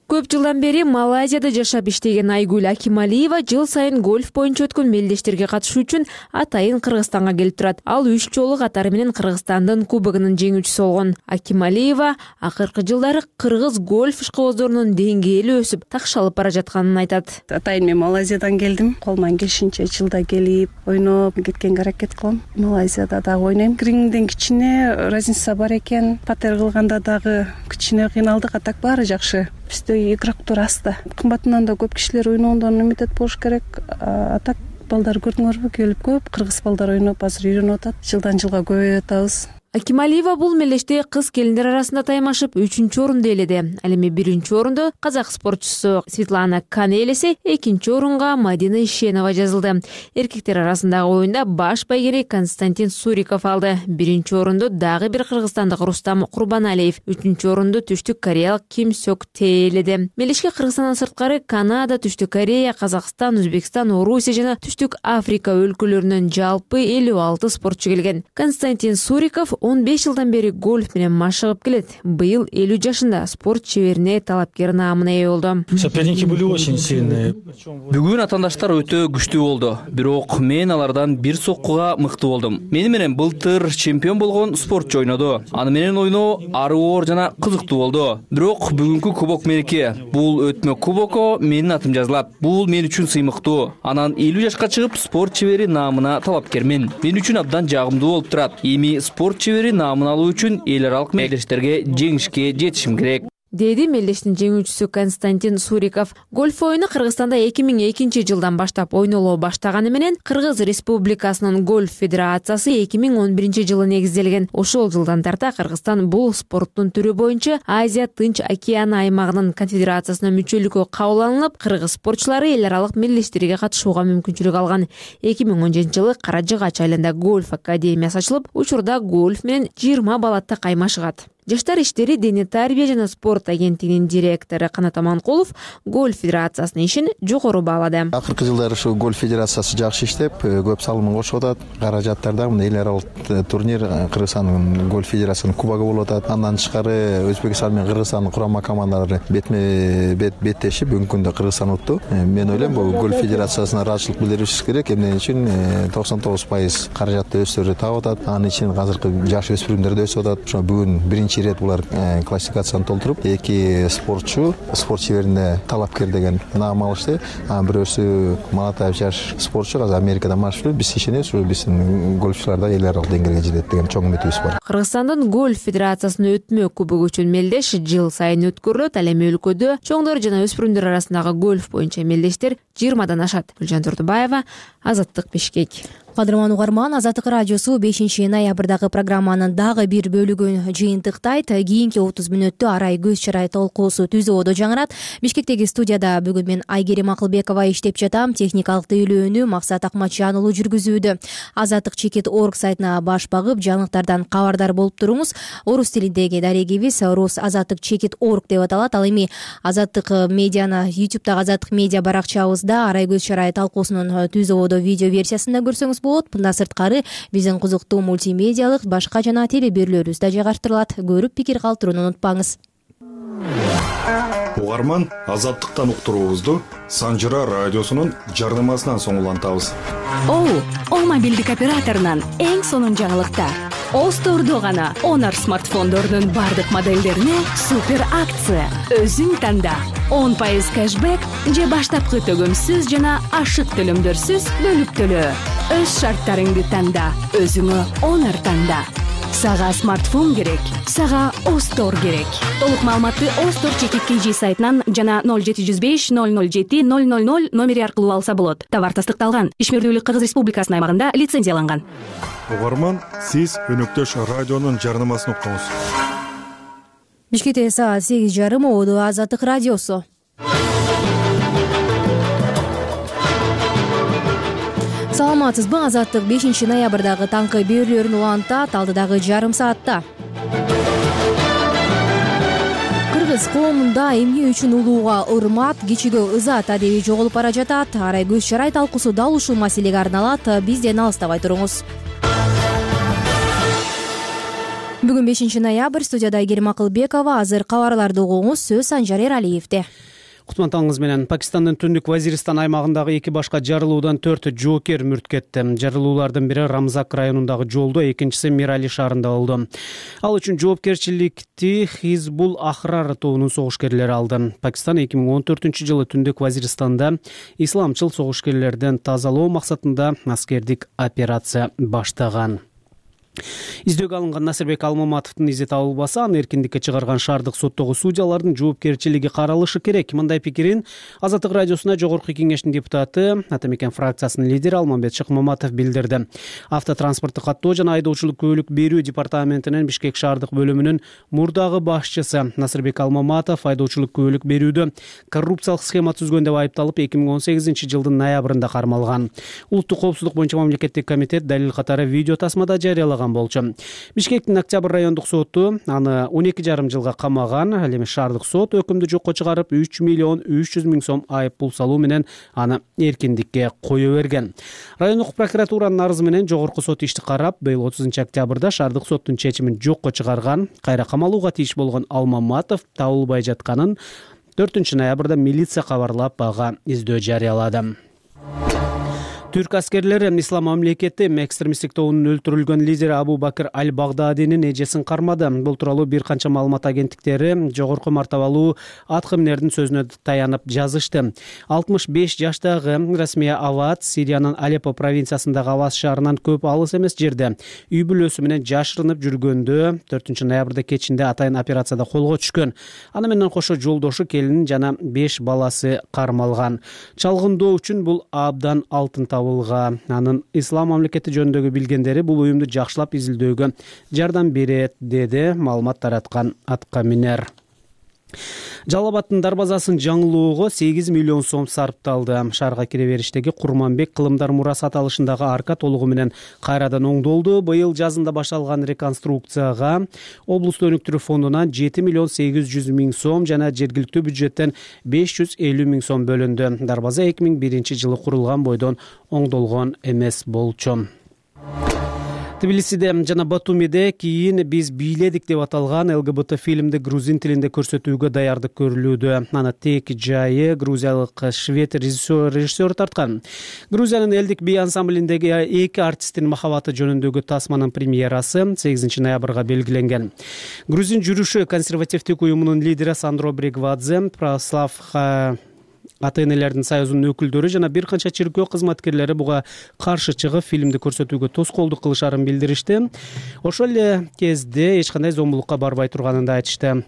Көп жылдан бери Малайзияда жашап иштеген Айгүл Акималиева жыл сайын гольф боюнча өткөн мелдештерге катышуу үчүн атайын Кыргызстанга келип турат. Ал 3 жолу катары менен Кыргызстандын кубогунун жеңүүчүсү болгон. Акималиева акыркы жылдары кыргыз гольф ишкыбоздорунун деңгээли өсүп, такшалып бара жатканын айтат. Атайын мен Малайзиядан келдим. Колуман келишинче жылда келип, ойноп кеткенге аракет кылам. Малайзияда дагы ойнойм. Гринден кичине разница бар экен. Патер кылганда дагы кичине кыйналдык, а так баары жакшы. Бизде игроктор аз да. Кымбатынан да көп кишилер ойногондон үмүт болуш керек. А так балдар көрдүңөрбү, келип көп кыргыз балдар ойноп азыр үйрөнүп атат. Жылдан жылга көбөйүп атабыз. Акималиева бул мелдеште кыз келиндер арасында таймашып 3-чү орунду ээледи. Ал эми 1-чү орунду казак спортчусу Светлана Кан ээлесе, 2-чү орунга Мадина Ишенова жазылды. Эркектер арасындагы оюнда баш байгери Константин Суриков алды. 1-чү орунду дагы бир кыргызстандык Рустам Курбаналиев, 3-чү орунду Түштүк Кореялык Ким Сёк Тэ ээледи. Мелдешке Кыргызстандан сырткары Канада, Түштүк Корея, Казакстан, Өзбекстан, Орусия жана Түштүк Африка өлкөлөрүнөн жалпы 56 спортчу келген. Константин Суриков 15 жылдан бери гольф менен машыгып келет. Быйыл 50 жашында спорт чеберине талапкер наамына ээ болду. Соперники были очень сильные. Бүгүн атаандаштар өтө күчтүү болду. Бирок мен алардан бир соккуга мыкты болдум. Мени менен былтыр чемпион болгон спортчу ойноду. Аны менен ойноо ары оор жана кызыктуу болду. Бирок бүгүнкү кубок меники. Бул өтмө кубокко менин атым жазылат. Бул мен үчүн сыймыктуу. Анан 50 жашка чыгып спорт чебери наамына талапкермин. Мен үчүн абдан жагымдуу болуп турат. Эми спорт чебери наамын алуу үчүн эл аралык мелдештерге жеңишке жетишим керек, деди мелдештин жеңүүчүсү Константин Суриков. Гольф оюну Кыргызстанда 2002 жылдан баштап ойноло баштаганы менен Кыргыз Республикасынын гольф федерациясы 2011 жылы негизделген. Ошол жылдан тарта Кыргызстан бул спорттун түрү боюнча Азия Тынч океаны аймагынын конфедерациясына мүчөлүккө кабыл алынып, кыргыз спортчулары эл аралык мелдештерге катышууга мүмкүнчүлүк алган. 2017 жылы Кара Жыгач айылында гольф академиясы ачылып, учурда гольф менен 20 бала каймашыгат. Жаштар иштери дене тарбия жана спорт агенттигинин директору Канат Аманкулов гольф федерациясынын ишин жогору баалады. Акыркы жылдары ушу гольф федерациясы жакшы иштеп, көп салымын кошуп атат. Каражаттарда мына эл аралык турнир Кыргызстандын гольф федерациясынын кубогу болуп атат. Андан тышкары Өзбекстан менен Кыргызстандын курама командалары бетме-бет беттешип бүгүнкү күндө Кыргызстан утtu. Мен ойлойм, бул гольф федерациясына ыраазычылык билдиришибиз керек. Эмне үчүн 99% каражатты өздөрү таап атат. Анын ичинен азыркы жаш өспүрүмдөр да өсүп атат. Ошо бүгүн биринчи рет булар классификацияны толтуруп, 2 спортчу спорт чеберине талапкер деген наам алышты. Бирөөсү Малатаев жаш спортчу азыр Америкада машыгып, биз ишенебиз, биздин гольфчулар да эл аралык деңгээлге жетет деген чоң үмүтүбүз бар. Кыргызстандын гольф федерациясынын өтмө кубогу үчүн мелдеш жыл сайын өткөрүлөт. Ал эми өлкөдө чоңдор жана өспүрүмдөр арасындагы гольф боюнча мелдештер 20дан ашат. Гүлжан Турдубаева, Азаттык, Бишкек. Кадырман угарман, Азаттык радиосу 5 ноябрдагы программанын дагы бир бөлүгүн жыйынтыктайт. Кийинки 30 мүнөттө арай көз чарай толкуусу түзөөдө жаңырат. Бишкектеги студияда бүгүн мен Айгерим Акылбекова иштеп жатам. Техникалык тейлөөнү Максат Акматжан уулу жүргүзүүдө. Азаттык.org сайтына баш багып, жаңылыктардан кабардар болуп туруңуз. Орус тилиндеги дарегибиз Рус Азаттык.org деп аталат. Ал эми Азаттык медианы YouTube'дагы Азаттык медиа баракчабызда арай көз чарай талкуусунун түзөөдө видео версиясында көрсөңүз болот. Мындан сырткары биздин кызыктуу мультимедиалык башка жана теле берүүлөрүбүз да жайгаштырылат. Көрүп пикир калтырууну унутпаңыз. угарман, Азаттыктан уктуруубузду Санжыра радиосунун жарнамасынан соң улантабыз. О мобилдик операторунан эң сонун жаңылыктар. Остордо гана Honor смартфондорунун бардык моделдерине супер акция. Өзүң танда 10% кэшбэк же баштапкы төгөмсүз жана ашык төлөмдөрсүз бөлүп төлөө. Өз шарттарыңды танда, өзүңө Honor танда. Сага смартфон керек, сага Остор керек. Толук маалыматты Остор ЧККЖ сайтынан жана 0705 007 000 номери аркылуу алса болот. Товар тастыкталган. Ишмердүүлүк Кыргыз Республикасына аймагында лицензияланган. Угарман, сиз өнөктөш радионун жарнамасын уктуңуз. Бишкекте саат 8:30 Оодо Азаттык радиосу. Саламатсызбы? Азаттык 5 ноябрдагы таңкы берүүлөрүн улантат алдыдагы жарым саатта. Кыргыз коомунда эмне үчүн улууга урмат, кичиге ызат адеби жоголуп бара жатат. Арай көз чарай талкуусу дал ушул маселеге арналат. Бизден алыстабай туруңуз. Бүгүн 5 ноябрь, студияда Айгерим Акылбекова. Азыр кабарларды угуңуз, сөз Санжар Эралиевде. Кутмантаңыз менен. Пакистандын түндүк Вазиристан аймагындагы 2 башка жарылуудан 4 жоокер мүрт кетти. Жарылуулардын бири Рамзак районундагы жолдо, экинчиси Мирали шаарында болду. Ал үчүн жоопкерчиликти Хизбул Ахрар тобунун согушкерлери алды. Пакистан 2014-жылы түндүк Вазиристанда исламчыл согушкерлерден тазалоо максатында аскердик операция баштаган. Издөөгө алынган Насырбек Алмаматовдун изи табылбаса, аны эркиндикке чыгарган шаардык соттогу судьялардын жоопкерчилиги каралышы керек. Мындай пикирин Азаттык радиосуна Жогорку кеңештин депутаты, Атамекен фракциясынын лидери Алмамбет Шыкмаматов билдирди. Автотранспорттук каттоо жана айдоочулук күбөлүк берүү департаментинин Бишкек шаардык бөлүмүнүн мурдагы башчысы Насырбек Алмаматов айдоочулук күбөлүк берүүдө коррупциялык схема түзгөн деп айыпталып 2018-жылдын ноябрында кармалган. Улуттук коопсуздук боюнча мамлекеттик комитет далил катары видео тасмада жарыялаган болчу. Бишкектин Октябрь райондук соту аны 12,5 жылга камаган. Ал эми шаардык сот өкүмдү жокко чыгарып 3,3 миллион сом айып пул салуу менен аны эркиндикке кое берген. Райондук прокуратуранын арызы менен жогорку сот ишти карап, быйыл 30 октябрда шаардык соттун чечимин жокко чыгарган. Кайра камалууга тийиш болгон Алмаматов табылбай жатканын 4 ноябрда милиция кабарлап ага издөө жарыялады. Түрк аскерлери Ислам мамлекети экстремисттик тобунун өлтүрүлгөн лидери Абу Бакр аль-Багдадинин эжесин кармады. Бул тууралуу бир канча маалымат агенттиктери жогорку мартабалуу аткаминердин сөзүнө таянып жазышты. 65 жаштагы Расмия Ават Сириянын Алеппо провинциясындагы Авас шаарынан көп алыс эмес жерде үй бүлөсү менен жашырынып жүргөндө 4 ноябрда кечинде атайын операцияда колго түшкөн. Аны менен кошо жолдошу, келини жана 5 баласы кармалган. Чалгындоо үчүн бул абдан алтын анын Ислам мамлекети жөнүндөгү билгендери бул уюмду жакшылап изилдөөгө жардам берет, деди маалымат тараткан аткаминер. Жалал Абадтын дарбазасын жаңылоого 8 миллион сом сарпталды. Шаарга кире бериштеги Курманбек кылымдар мурасы аталышындагы арка толугу менен кайрадан оңдолду. Быйыл жазында башталган реконструкцияга облустун өнүктүрүү фондунан 7 миллион 800 миң сом жана жергиликтүү бюджеттен 550 миң сом бөлүндү. Дарбаза 2001-жылы курулган бойдон оңдолгон эмес болчу. Тбилисиде жана Батумиде кийин биз бийледик деп аталган ЛГБТ фильмди грузин тилинде көрсөтүүгө даярдык көрүлүүдө. Аны тек жайы грузиялык швед режиссер тарткан. Грузиянын элдик би ансамблиндеги 2 артисттин махабаты жөнүндөгү тасманын премьерасы 8 ноябрга белгиленген. Грузин жүрүшү консервативдик уюмунун лидери Сандро Бригвадзе, Православ ата-энелердин союзунун өкүлдөрү жана бир канча чиркөө кызматкерлери буга каршы чыгып фильмди көрсөтүүгө тоскоолдук кылышарын билдиришти. Ошол эле кезде эч кандай зомбулукка барбай турганын да айтышты.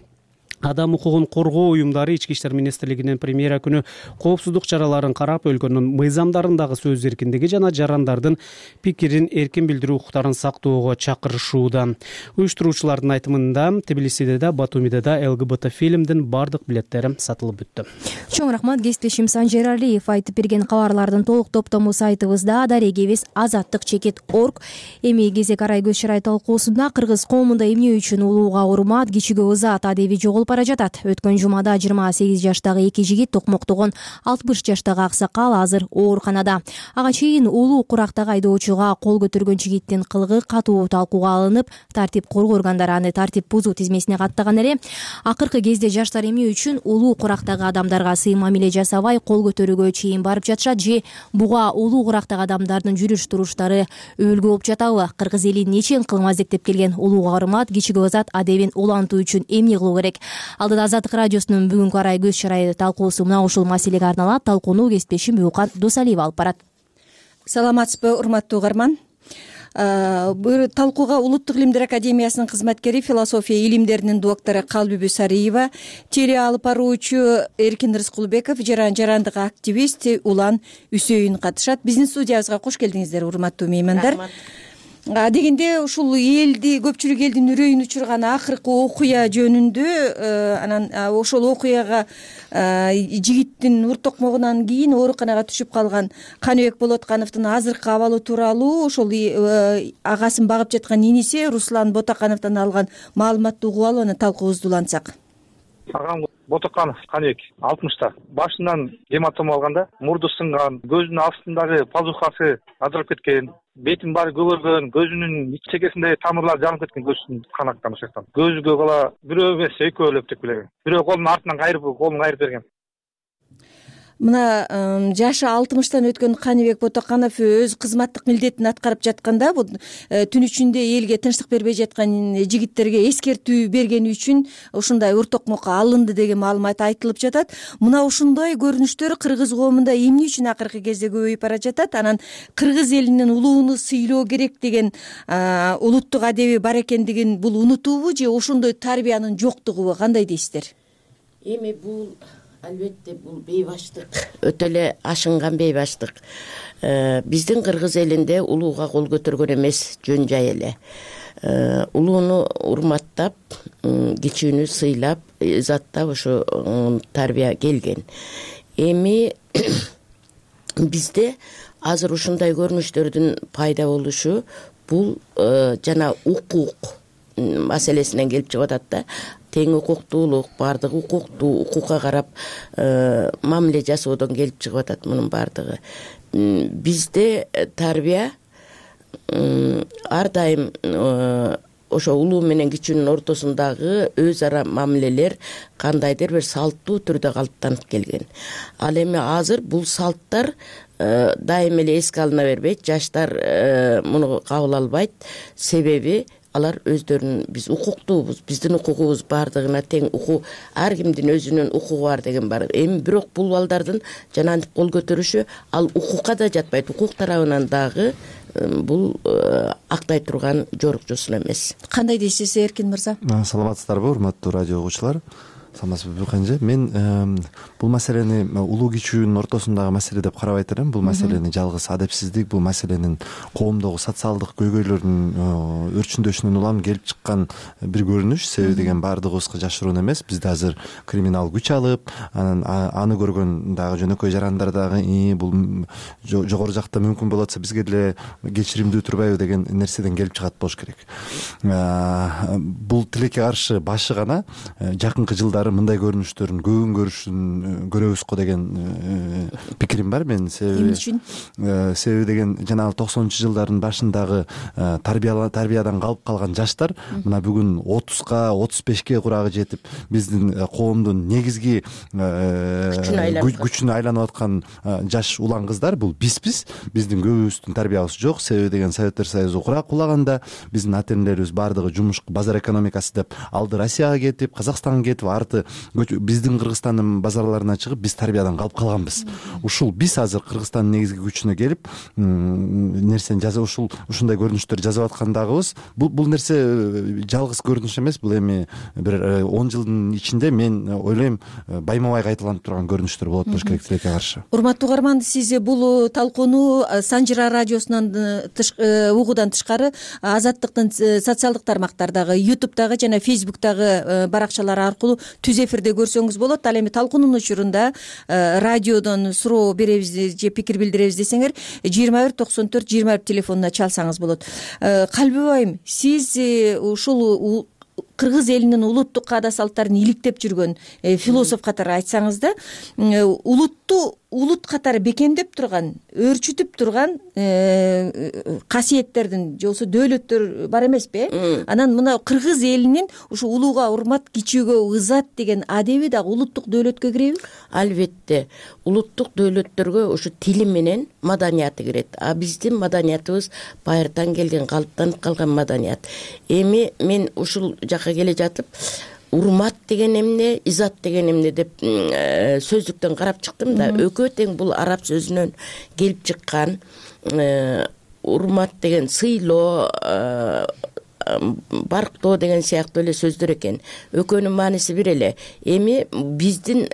Адам укугун коргоо уюмдары Ички иштер министрлигинин премьера күнү коопсуздук чараларын карап, өлкөнүн мыйзамдарындагы сөз эркиндиги жана жарандардын пикирин эркин билдирүү укуктарын сактоого чакырышууда. Уюштуруучулардын айтымында Тбилисиде да, Батумиде да ЛГБТ фильмдин бардык билеттери сатылып бүттү. Чоң рахмат, кесиптешим Санжар Алиев айтып берген кабарлардын толук топтому сайтыбызда дарегебиз azattik.org. Эми кезек арай көз чарай талкуусунда Кыргыз коомунда эмне үчүн улууга урмат, кичиге ызат адеби жоголуп бара жатат. Өткөн жумада 28 жаштагы эки жигит токмоктогон 60 жаштагы аксакал азыр ооруканада. Ага чейин улуу курактагы айдоочуга кол көтөргөн жигиттин кылыгы катуу талкууга алынып, тартип коргоо органдары аны тартип бузуу тизмесине каттаган эле. Акыркы кезде жаштар эмне үчүн улуу курактагы адамдарга сый мамиле жасабай кол көтөрүүгө чейин барып жатышат же буга улуу курактагы адамдардын жүрүш туруштары өбөлгө болуп жатабы? Кыргыз элин нечен кылым аздектеп келген улуу каарымат кичиги азат адебин улантуу үчүн эмне кылуу керек? Алдыда Азаттык радиосунун бүгүнкү арай көз чарайы талкуусу мына ушул маселеге арналат. Талкууну кесиптешим Бүкан Досалиева алып барат. Саламатсызбы, урматтуу угарман. Бул талкууга Улуттук илимдер академиясынын кызматкери, философия илимдеринин доктору Калбүбү Сариева, теле алып баруучу Эркин Рыскулбеков, жарандык активист Улан Үсөйүн катышат. Биздин студиябызга кош келдиңиздер, урматтуу меймандар. Дегенде ушул көпчүлүк элдин үрөйүн учурган акыркы окуя жөнүндө, анан ошол окуяга жигиттин ур токмогунан кийин ооруканага түшүп калган Каныбек Болоткановдун азыркы абалы тууралуу ошол агасын багып жаткан иниси Руслан Ботакановдон алган маалыматты угуп алып анан талкуубузду улантсак. Агам Ботаканов Каныбек 60та. Башынан гематома алган да, мурду сынган, көзүнүн астындагы пазухасы ажырап кеткен, бетин баары көгөргөн, көзүнүн ич чекесинде тамырлар жанып кеткен, көзүн кан аккан ошол жактан. Көзүгө бала бирөө эмес, экөө өлөп келген. Бирөө колун артынан колун кайрып берген. Мына жашы 60тан өткөн Каныбек Ботаканов өз кызматтык милдетин аткарып жатканда бул түн ичинде элге тынчтык бербей жаткан жигиттерге эскертүү бергени үчүн ушундай ур токмокко алынды деген маалымат айтылып жатат. Мына ушундай көрүнүштөр кыргыз коомунда эмне үчүн акыркы кезде көбөйүп бара жатат? Анан кыргыз элинин улууну сыйлоо керек деген улуттук адеби бар экендигин бул унутуубу же ошондой тарбиянын жоктугубу? Кандай дейсиздер? Эми бул албетте бул бейбаштык, өтө эле ашынган бейбаштык. Биздин кыргыз элинде улууга кол көтөргөн эмес, жөн жай эле. Улууну урматтап, кичүүнү сыйлап, изаттап ошо тарбия келген. Эми бизде азыр ушундай көрүнүштөрдүн пайда болушу бул жана укук маселесинен келип чыгып атат да. Тең укуктуулук, баардыгы укуктуу, укукка карап мамиле жасоодон келип чыгып атат мунун баардыгы. Бизде тарбия ар дайым ошо улуу менен кичүүнүн ортосундагы өз ара мамилелер кандайдыр бир салттуу түрдө калыптанып келген. Ал эми азыр бул салттар дайым эле эске алына бербейт, жаштар муну кабыл албайт. Себеби алар өздөрүнүн биз укуктуубуз, биздин укугубуз баардыгына тең, укук ар кимдин өзүнүн укугу бар деген бар. Эми бирок бул балдардын жанагынтип кол көтөрүшү ал укукка да жатпайт. Укук тарабынан дагы бул актай турган жорукчусун эмес. Кандай дейсиз, Эркин мырза? Саламатсыздарбы, урматтуу радио угуучулар? Саламатсызбы, Бүканжы? Мен бул маселени улуу кичүүнүн ортосундагы маселе деп карабайт элем. Бул маселени жалгыз адепсиздик, бул маселенин коомдогу социалдык көйгөйлөрдүн өрчүндөшүнөн улам келип чыккан бир көрүнүш. Себеби деген баардыгыбызга жашыруун эмес. Бизде азыр криминал күч алып, анан аны көргөн дагы жөнөкөй жарандар дагы бул жогору жакта мүмкүн болуп атса бизге деле кечиримдүү турбайбы деген нерседен келип чыгат болуш керек. Бул тилекке каршы башы гана жакынкы жылдары мындай көрүнүштөрдүн көбүн көрөбүз го деген пикирим бар мен. Себеби деген жанагы 90-чы жылдардын башындагы тарбиядан калып калган жаштар мына бүгүн 30га 35ке курагы жетип биздин коомдун негизги күчүнө айланып аткан жаш улан кыздар бул бизбиз. Биздин көбүбүздүн тарбиябыз жок. Себеби деген Советтер Союзу кулаганда биздин ата энелерибиз баардыгы жумуш, базар экономикасы деп алды Россияга кетип, Казакстанга кетип, арты биздин Кыргызстандын базарларына чыгып биз тарбиядан калып калганбыз. Ушул биз азыр Кыргызстандын негизги күчүнө келип нерсени жазып ушундай көрүнүштөр жазып аткандагыбыз. Бул нерсе жалгыз көрүнүш эмес. Бул эми бир 10 жылдын ичинде мен ойлойм байма-бай кайталанып турган көрүнүштөр болот болуш керек тилекке каршы. Урматтуу угарман, сиз бул талкууну Санжыра радиосунан угуудан тышкары Азаттыктын социалдык тармактардагы, YouTube'дагы жана Facebook'дагы баракчалары аркылуу түз эфирде көрсөңүз болот. Ал эми талкуунун учурунда радиодон суроо беребиз же пикир билдиребиз десеңер 21 94 21 телефонуна чалсаңыз болот. Калбыбайым, сиз ушул кыргыз элинин улуттук каада салттарын иликтеп жүргөн философ катары айтсаңыз да, улутту улут катары бекемдеп турган, өөрчүтүп турган касиеттердин же болбосо дөөлөттөр бар эмеспи? Анан мына кыргыз элинин ушу улууга урмат, кичүүгө ызат деген адеби дагы улуттук дөөлөткө киреби? Албетте, улуттук дөөлөттөргө ушу тили менен маданияты кирет. А биздин маданиятыбыз байыртан келген, калыптанып калган маданият. Эми мен ушул жака келе жатып, урмат деген эмне, изат деген эмне деп сөздүктөн карап чыктым да, экөө тең бул араб сөзүнөн келип чыккан. Урмат деген сыйлоо, барктоо деген сыяктуу эле сөздөр экен. Экөөнүн мааниси бир эле. Эми биздин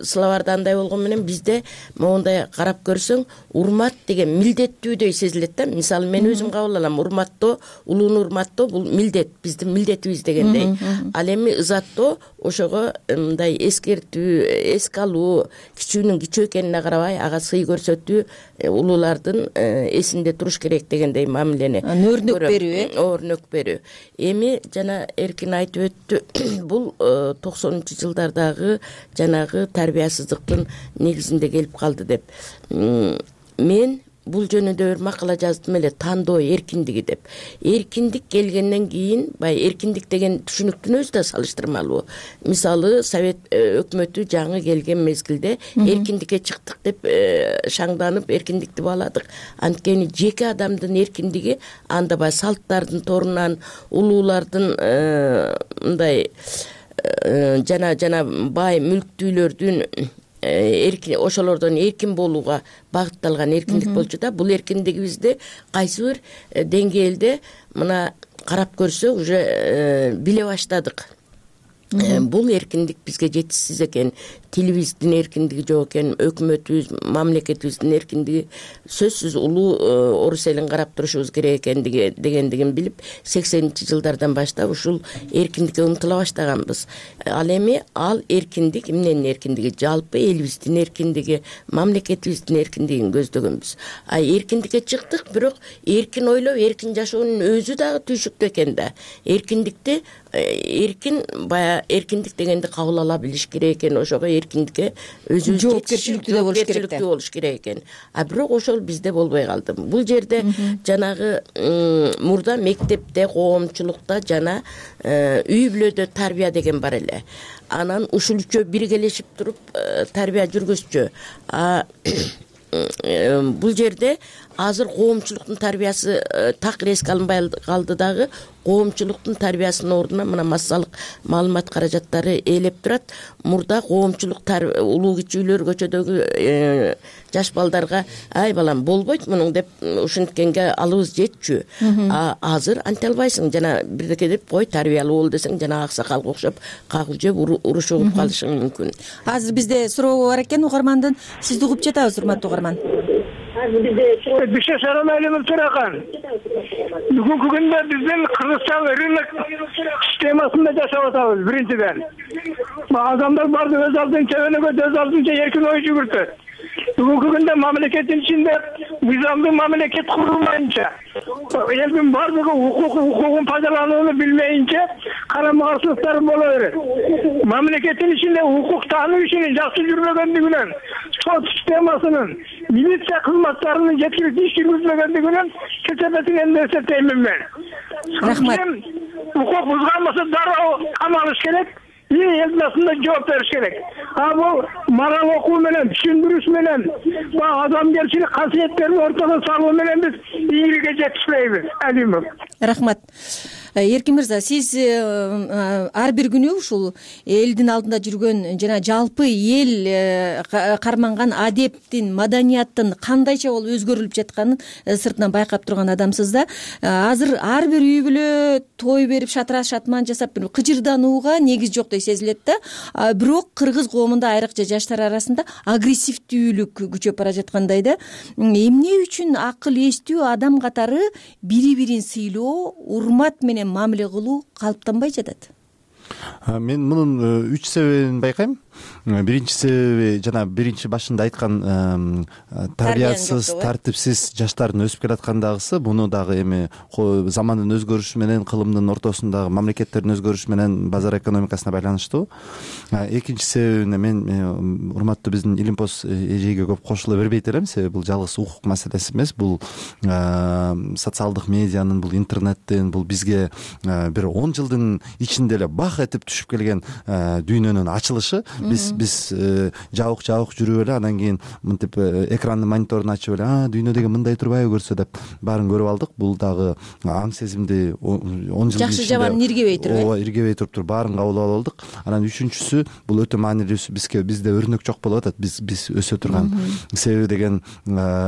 словарда андай болгон менен бизде моундай карап көрсөң, урмат деген милдеттүүдөй сезилет да. Мисалы мен өзүм кабыл алам, урматтоо, улууну урматтоо бул милдет, биздин милдетибиз дегендей. Ал эми ызаттоо ошого мындай эскертүү, эске алуу, кичүүнүн кичүү экенине карабай ага сый көрсөтүү, улуулардын эсинде туруш керек дегендей мамилени. Өрнөк берүү, өрнөк берүү. Эми жана Эркин айтып өттү, бул 90-жылдардагы жанагы тарбиясыздыктын негизинде келип калды деп. Мен бул жөнүндө бир макала жаздым эле, тандоо эркиндиги деп. Эркиндик келгенден кийин, баягы эркиндик деген түшүнүктүн өзү да салыштырмалуу. Мисалы, Совет өкмөтү жаңы келген мезгилде эркиндикке чыктык деп шаңданып эркиндикти бааладык. Анткени жеке адамдын эркиндиги анда баягы салттардын торунан, улуулардын мындай жана бай мүлктүүлөрдүн ошолордон эркин болууга багытталган эркиндик болчу да. Бул эркиндигибизди кайсы бир деңгээлде мына карап көрсөк уже биле баштадык. Бул эркиндик бизге жетишсиз экен. Тилибиздин эркиндиги жок экен, өкмөтүбүз, мамлекетибиздин эркиндиги сөзсүз улуу орус элин карап турушубуз керек экендиги дегендигин билип, 80-жылдардан баштап ушул эркиндикке умтула баштаганбыз. Ал эми ал эркиндик, эмненин эркиндиги? Жалпы элибиздин эркиндиги, мамлекетибиздин эркиндигин көздөгөнбүз. А эркиндикке чыктык, бирок эркин ойлоп, эркин жашоонун өзү дагы түйшүктүү экен да. Эркиндикти эркин баягы эркиндик дегенди кабыл ала билиш керек экен. Ошого эркиндикке өзүбүз жоопкерчиликтүү болуш керек экен. А бирок ошол бизде болбой калды. Бул жерде жанагы мурда мектепте, коомчулукта жана үй бүлөдө тарбия деген бар эле. Анан ушул үчөө биргелешип туруп тарбия жүргүзчү. Бул жерде азыр коомчулуктун тарбиясы такыр эске алынбай калды дагы. Коомчулуктун тарбиясынын ордуна мына массалык маалымат каражаттары ээлеп турат. Мурда коомчулук улуу кичүүлөр көчөдөгү жаш балдарга ай балам болбойт мунуң деп ушинткенге алыбыз жетчү. Азыр анте албайсың, жана бирдеке деп кой тарбиялуу бол десең жана аксакалга окшоп какыл жеп уруш угуп калышың мүмкүн. Азыр бизде суроо бар экен угармандын. Сизди угуп жатабыз, урматтуу угарман. Бишке сарамайлуу туракан. Бүгүнкү күндө биздин Кыргызстан рынок системасында жашап атабыз. Биринчиден, адамдар барды өз алдынча өнөгөт, өз алдынча эркин ой жүгүртөт. Бүгүнкү күндө мамлекеттин ичинде мыйзамдуу мамлекет курулмайынча, элдин бардыгы укугун пайдаланууну билмейинче карама каршылыктар боло берет. Мамлекеттин ичинде укук таануу ишинин жакшы жүрбөгөндүгүнөн, сот системасынын, милиция кызматтарынын жеткиликтүү иш жүргүзбөгөндүгүнөн кечепетин эмне эсептеймин мен. Рахмат. Укук бузган болсо дароо камалыш керек. Элдин астында жооп бериш керек. Бул мораль окуу менен, түшүндүрүш менен, адамгерчилик касиеттерин ортого салуу менен биз ийгиликке жетишпейбиз. Алимов. Рахмат. Эркин мырза, сиз ар бир күнү ушул элдин алдында жүргөн жана жалпы эл карманган адептин, маданияттын кандайча болуп өзгөрүлүп жатканын сыртынан байкап турган адамсыз да. Азыр ар бир үй бүлө той берип, шатыраш шатман жасап, кыжырданууга негиз жоктой сезилет да. Бирок кыргыз коомунда айрыкча жаштар арасында агрессивдүүлүк күчөп бара жаткандай да. Эмне үчүн акыл эстүү адам катары бири-бирин сыйлоо, урмат менен мамиле кылуу калыптанбай жатат? Мен мунун 3 себебин байкайм. биринчи себеби жана биринчи башында айткан тарбиясыз, тартипсиз жаштардын өсүп келаткандагысы, буну дагы эми замандын өзгөрүшү менен, кылымдын ортосундагы мамлекеттердин өзгөрүшү менен базар экономикасына байланыштуу. Экинчи себебине мен урматтуу биздин Илимпоз эжеге көп кошула бербейт элем, себеби бул жалгыз укук маселеси эмес, бул социалдык медианын, бул интернеттин, бул бизге бир 10 жылдын ичинде эле бак этип түшүп келген дүйнөнүн ачылышы. Биз жабык жүрүп эле, анан кийин мынтип экрандын мониторун ачып эле, дүйнө деген мындай турбайбы көрсө деп баарын көрүп алдык. Бул дагы аң сезимди 10 жылдын жакшы жаман иргебей туруп, ооба, иргебей туруп баарын кабыл алып алдык. Анан үчүнчүсү, бул өтө маанилүүсү, бизде өрнөк жок болуп атат, биз өсө турган. Себеби деген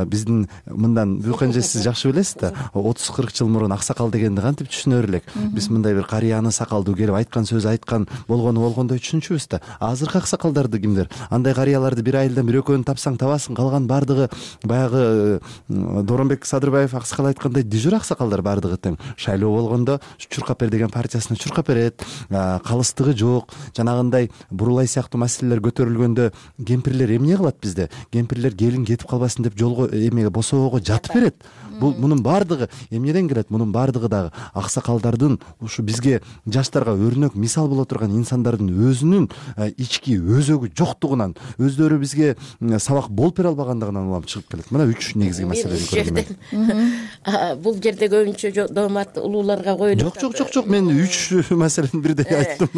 биздин мындан Бүкенже сиз жакшы билесиз да, 30-40 жыл мурун аксакал дегенди кантип түшүнөр элек. Биз мындай бир карыяны сакалдуу келип айткан сөз айткан болгондой түшүнчүбүз да. Азыркы аксакалдарды кимдер? Андай карыяларды бир айылдан бир экөөнү тапсаң табасың, калган бардыгы баягы Доронбек Садырбаев аксакал айткандай дежур аксакалдар бардыгы тең. Шайлоо болгондо чуркап бер деген партиясына чуркап берет, калыстыгы жок. Жанагындай бурулай сыяктуу маселелер көтөрүлгөндө кемпирлер эмне кылат бизде? Кемпирлер келин кетип калбасын деп жолго эмеге босоого жатып берет. Мунун баардыгы эмнеден келет? Мунун баардыгы дагы аксакалдардын ушу бизге жаштарга өрнөк мисал боло турган инсандардын өзүнүн ички өзөгү жоктугунан, өздөрү бизге сабак болуп бере албагандыгынан улам чыгып келет. Мына 3 негизги маселени көрдүм. Бул жерде көбүнчө доомат улууларга коюлат. Жок, мен 3 маселени бирдей айттым.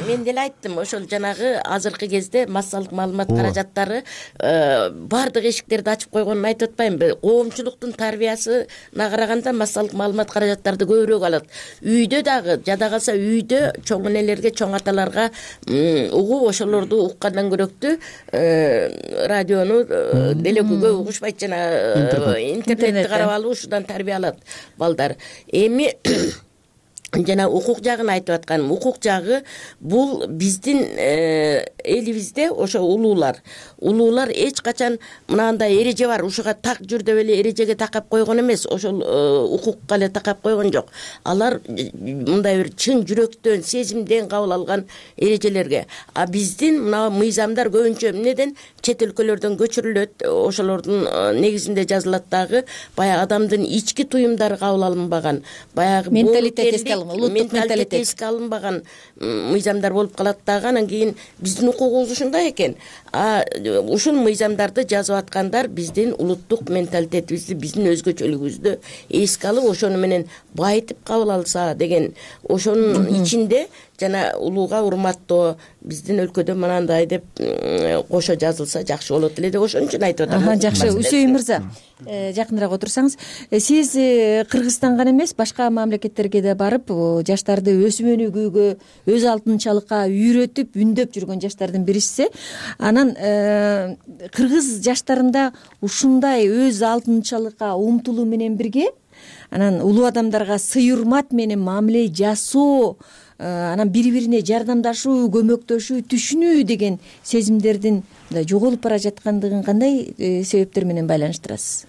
Мен деле айттым, ошол жанагы азыркы кезде массалык маалымат каражаттары баардык эшиктерди ачып койгонун айтып атпаймынбы? Коомчулуктун тарбиясына караганда массалык маалымат каражаттарды көбүрөөк алат. Үйдө дагы жада калса, үйдө чоң энелерге, чоң аталарга угуп, ошолорду уккандан көрөктүү радиону деле көп угушпайт, жана интернетти карап алып ушудан тарбия алат балдар. Эми жана укук жагын айтып атканым, укук жагы бул биздин элибизде ошо улуулар эч качан мынандай эреже бар, ушуга так жүр деп эле эрежеге такап койгон эмес, ошол укукка эле такап койгон жок. Алар мындай бир чын жүрөктөн, сезимден кабыл алган эрежелерге. А биздин мына мыйзамдар көбүнчө эмнеден? Чет өлкөлөрдөн көчүрүлөт, ошолордун негизинде жазылат дагы баягы адамдын ички туюмдары кабыл алынбаган, баягы улуттук менталитет эске алынбаган мыйзамдар болуп калат дагы. Анан кийин биздин укугубуз ушундай экен. Ушул мыйзамдарды жазып аткандар биздин улуттук менталитетибизди, биздин өзгөчөлүгүбүздү эске алып, ошону менен байытып кабыл алса деген, ошонун ичинде жана улууга урматтоо, биздин өлкөдө мынандай деп кошо жазылса жакшы болот эле деп ошон үчүн айтып атам. Жакшы, Үсөйүн мырза, жакыныраак отурсаңыз. Сиз Кыргызстанга эмес, башка мамлекеттерге да барып, жаштарды өсүм өнүгүүгө, өз алтынчалыкка үйрөтүп, үндөп жүргөн жаштардын бирисиз. Анан кыргыз жаштарында ушундай өз алтынчалыкка умтулуу менен бирге, анан улуу адамдарга сый урмат менен мамиле жасоо, анан бири-бирине жардамдашуу, көмөктөшүү, түшүнүү деген сезимдердин жоголуп бара жаткандыгын кандай себептер менен байланыштырасыз?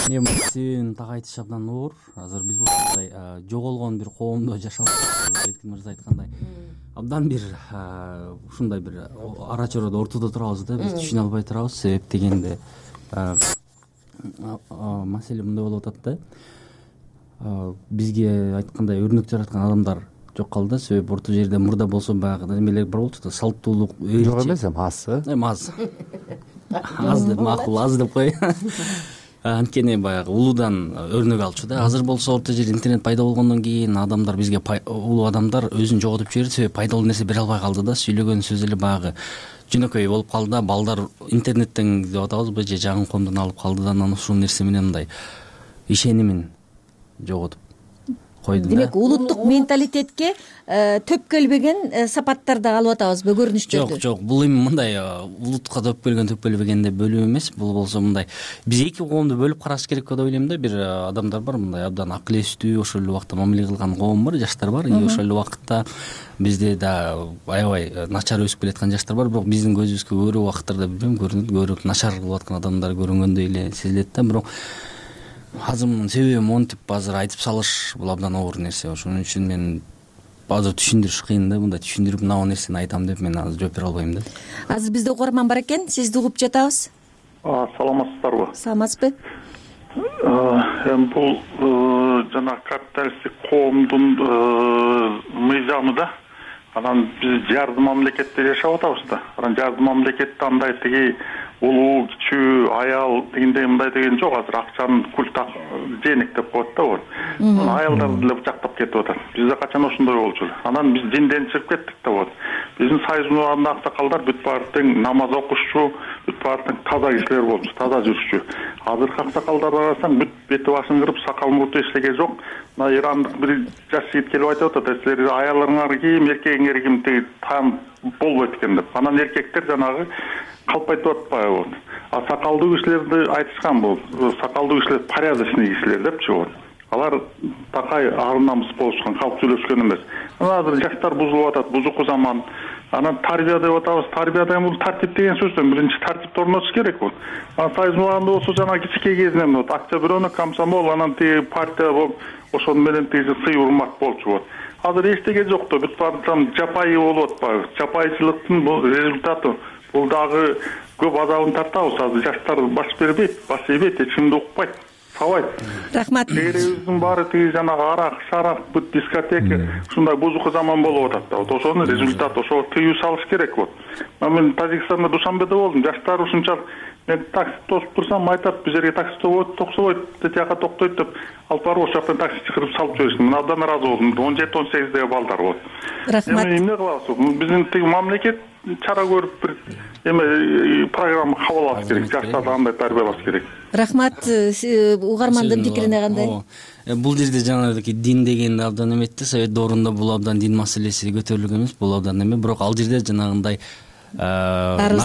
Себебин так айтыш абдан оор. Азыр биз болсо жоголгон бир коомдо жашап атабыз. Эркин мырза айткандай, абдан бир ушундай бир ара чородо ортодо турабыз да, биз түшүнө албай турабыз. Себеп дегенде маселе мындай болуп атат да. Бизге айткандай өрнөк жараткан адамдар жок калды. Себеп орто жерде мурда болсо баягы немелер бар болчу да, салттуулук жок эмес, аз. Аз деп макул, аз деп кой. Анткени баягы улуудан өрнөк алчу да. Азыр болсо орто жерде интернет пайда болгондон кийин адамдар бизге, улуу адамдар өзүн жоготуп жиберди. Себеп пайдалуу нерсе бере албай калды да. Сүйлөгөн сөз эле баягы жөнөкөй болуп калды да. Балдар интернеттен деп атабызбы, же жагын коомдон алып калды да. Анан ушул нерсе менен мындай ишенимин жоготуп койду. Демек, улуттук менталитетке төп келбеген сапаттарды алып атабызбы, көрүнүштөрдү? Жок, бул эми мындай улуттукка төп келбеген деп бөлүү эмес. Бул болсо мындай биз эки коомду бөлүп караш керек деп ойлойм да. Бир адамдар бар, мындай абдан акыл эстүү, ошол эле убакта мамиле кылган коом бар, жаштар бар. И ошол эле убакытта бизде да аябай начар өсүп келаткан жаштар бар. Бирок биздин көзүбүзгө көбүрөөк убакыттарда билбейм, көрүнөт, көбүрөөк начар кылып аткан адамдар көрүнгөндөй эле сезилет да. Бирок азыр мунун себеби монтип азыр айтып салыш бул абдан оор нерсе. Ошон үчүн мен азыр түшүндүрүш кыйын да, мындай түшүндүрүп мына нерсени айтам деп мен азыр жооп бере албайм да. Азыр бизде угарман бар экен, сизди угуп жатабыз. Саламатсыздарбы? Саламатсызбы? Эми бул жана капиталисттик коомдун мыйзамы да. Анан биз жардым мамлекетте жашап атабыз да. Анан жардым мамлекетте андай тиги улуу, кичүү, аял дегендей мындай деген жок. Азыр акчанын культ денег деп коет да бол. Аялдарды деле бычактап кетип атат. Бизде качан ошондой болчу эле. Анан биз динден чыгып кеттик да бол. Биздин союзумуздагы аксакалдар бүт баары тең намаз окушчу, бүт баары тең таза кишилер болчу, таза жүрүшчү. Азыркы аксакалдарды карасаң бүт бети башын кырып, сакал мурду эчтеке жок. Мына ирандык бир жаш жигит келип айтып атат, силер аялдарыңар ким, эркегиңер ким тиги таам болбойт экен деп. Анан эркектер жанагы калпайтып атпайбы? А сакалдуу кишилерди айтышкан бул. Сакалдуу кишилер порядочный кишилер депчи бол. Алар такай ар намыс болушкан, калп сүйлөшкөн эмес. Азыр жаштар бузулуп атат, бузуку заман. Анан тарбия деп атабыз. Тарбияда бул тартип деген сөздөн биринчи тартипти орнотуш керек бул. Анан союзмаганда болсо жана кичинекей кезинен вот Октябрёнок, комсомол, анан тиги партия болуп ошонун менен тиги сый урмат болчу вот. Азыр эчтеке жок да, бүт баары жапайы болуп атпайбы? Жапайычылыктын бул результаты. Бул дагы көп азабын тартабыз. Азыр жаштар баш бербейт, баш ийбейт, эч кимди укпайт. Рахмат. Элибиздин баары тиги жанагы арак, шарак, бүт дискотека ушундай бузуку заман болуп атат да. Вот ошонун результаты, ошого тыюу салыш керек вот. Мен Тажикстанда Душанбеде болдум. Жаштар ушунчалык мен такси тосуп турсам айтат, биз жерге такси токсобойт, тияка токтойт деп алып барып ошол жактан такси чыгарып салып жиберишти. Мен абдан ыраазы болдум. 17-18деги балдар вот. Рахмат. Эмне кылабыз? Биздин тиги мамлекет чара көрүп бир эме программа кабыл алыш керек. Жаштарды андай тарбиялаш керек. Рахмат. Угармандын пикирине кандай? Бул жерде жанагы дин дегенди абдан эметти. Совет доорунда бул абдан дин маселеси көтөрүлгөн эмес, бул абдан эме. Бирок ал жерде жанагындай нарк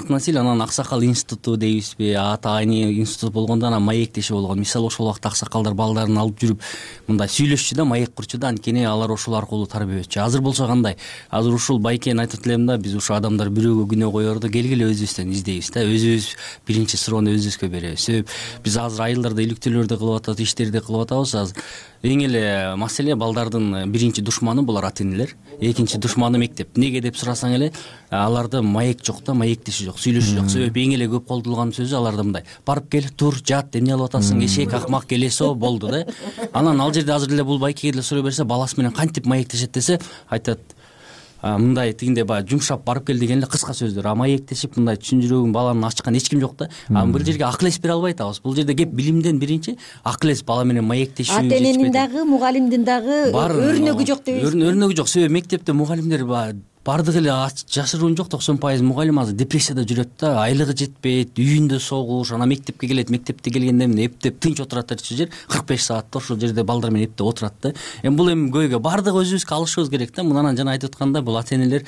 насилие, анан аксакал институту дейбизби, атайын институт болгондо анан маектеши болгон. Мисалы ошол убакта аксакалдар балдарын алып жүрүп мындай сүйлөшчү да, маек курчу да, анткени алар ошол аркылуу тарбиялечү. Азыр болсо кандай? Азыр ушул байкени айтып элем да, биз ушул адамдар бирөөгө күнөө коерду, келгиле өзүбүздөн издейбиз да, өзүбүз биринчи суроону өзүбүзгө беребиз. Себеп биз азыр айылдарда иликтөөлөрдү кылып атабыз, иштерди кылып атабыз. Азыр эң эле маселе балдардын биринчи душманы булар ата энелер, экинчи душманы мектеп. Эмнеге деп сурасаң эле, аларда маек жок да, маектеши жок, сүйлөшү жок. Себеп эң эле көп колдонулган сөзү аларда мындай: барып кел, тур, жат, эмне кылып атасың, эшек, акмак, келесо болду да. Анан ал жерде азыр эле бул байкеге деле суроо берсе, баласы менен кантип маектешет десе, айтат мындай тигинде баягы жумшап барып кел деген эле кыска сөздөр. А маектешип мындай чын жүрөгүн баланын ачкан эч ким жок да. Бир жерге акыл эс бере албай атабыз. Бул жерде кеп билимден биринчи акыл эс, бала менен маектешүү. Ата эненин дагы, мугалимдин дагы өрнөгү жок дебейсизби? Өрнөгү жок. Себеп мектепте мугалимдер бардыгы эле жашыруун жок, 90% мугалим азыр депрессияда жүрөт да, айлыгы жетпейт, үйүндө согуш, анан мектепке келет, мектепте келгенде эмне эптеп тынч отурат элчи жер 45 саатта ошол жерде балдар менен эптеп отурат да. Бул эми көйгөй, бардыгы өзүбүзгө алышыбыз керек да. Мынанан жана айтып аткандай, бул ата энелер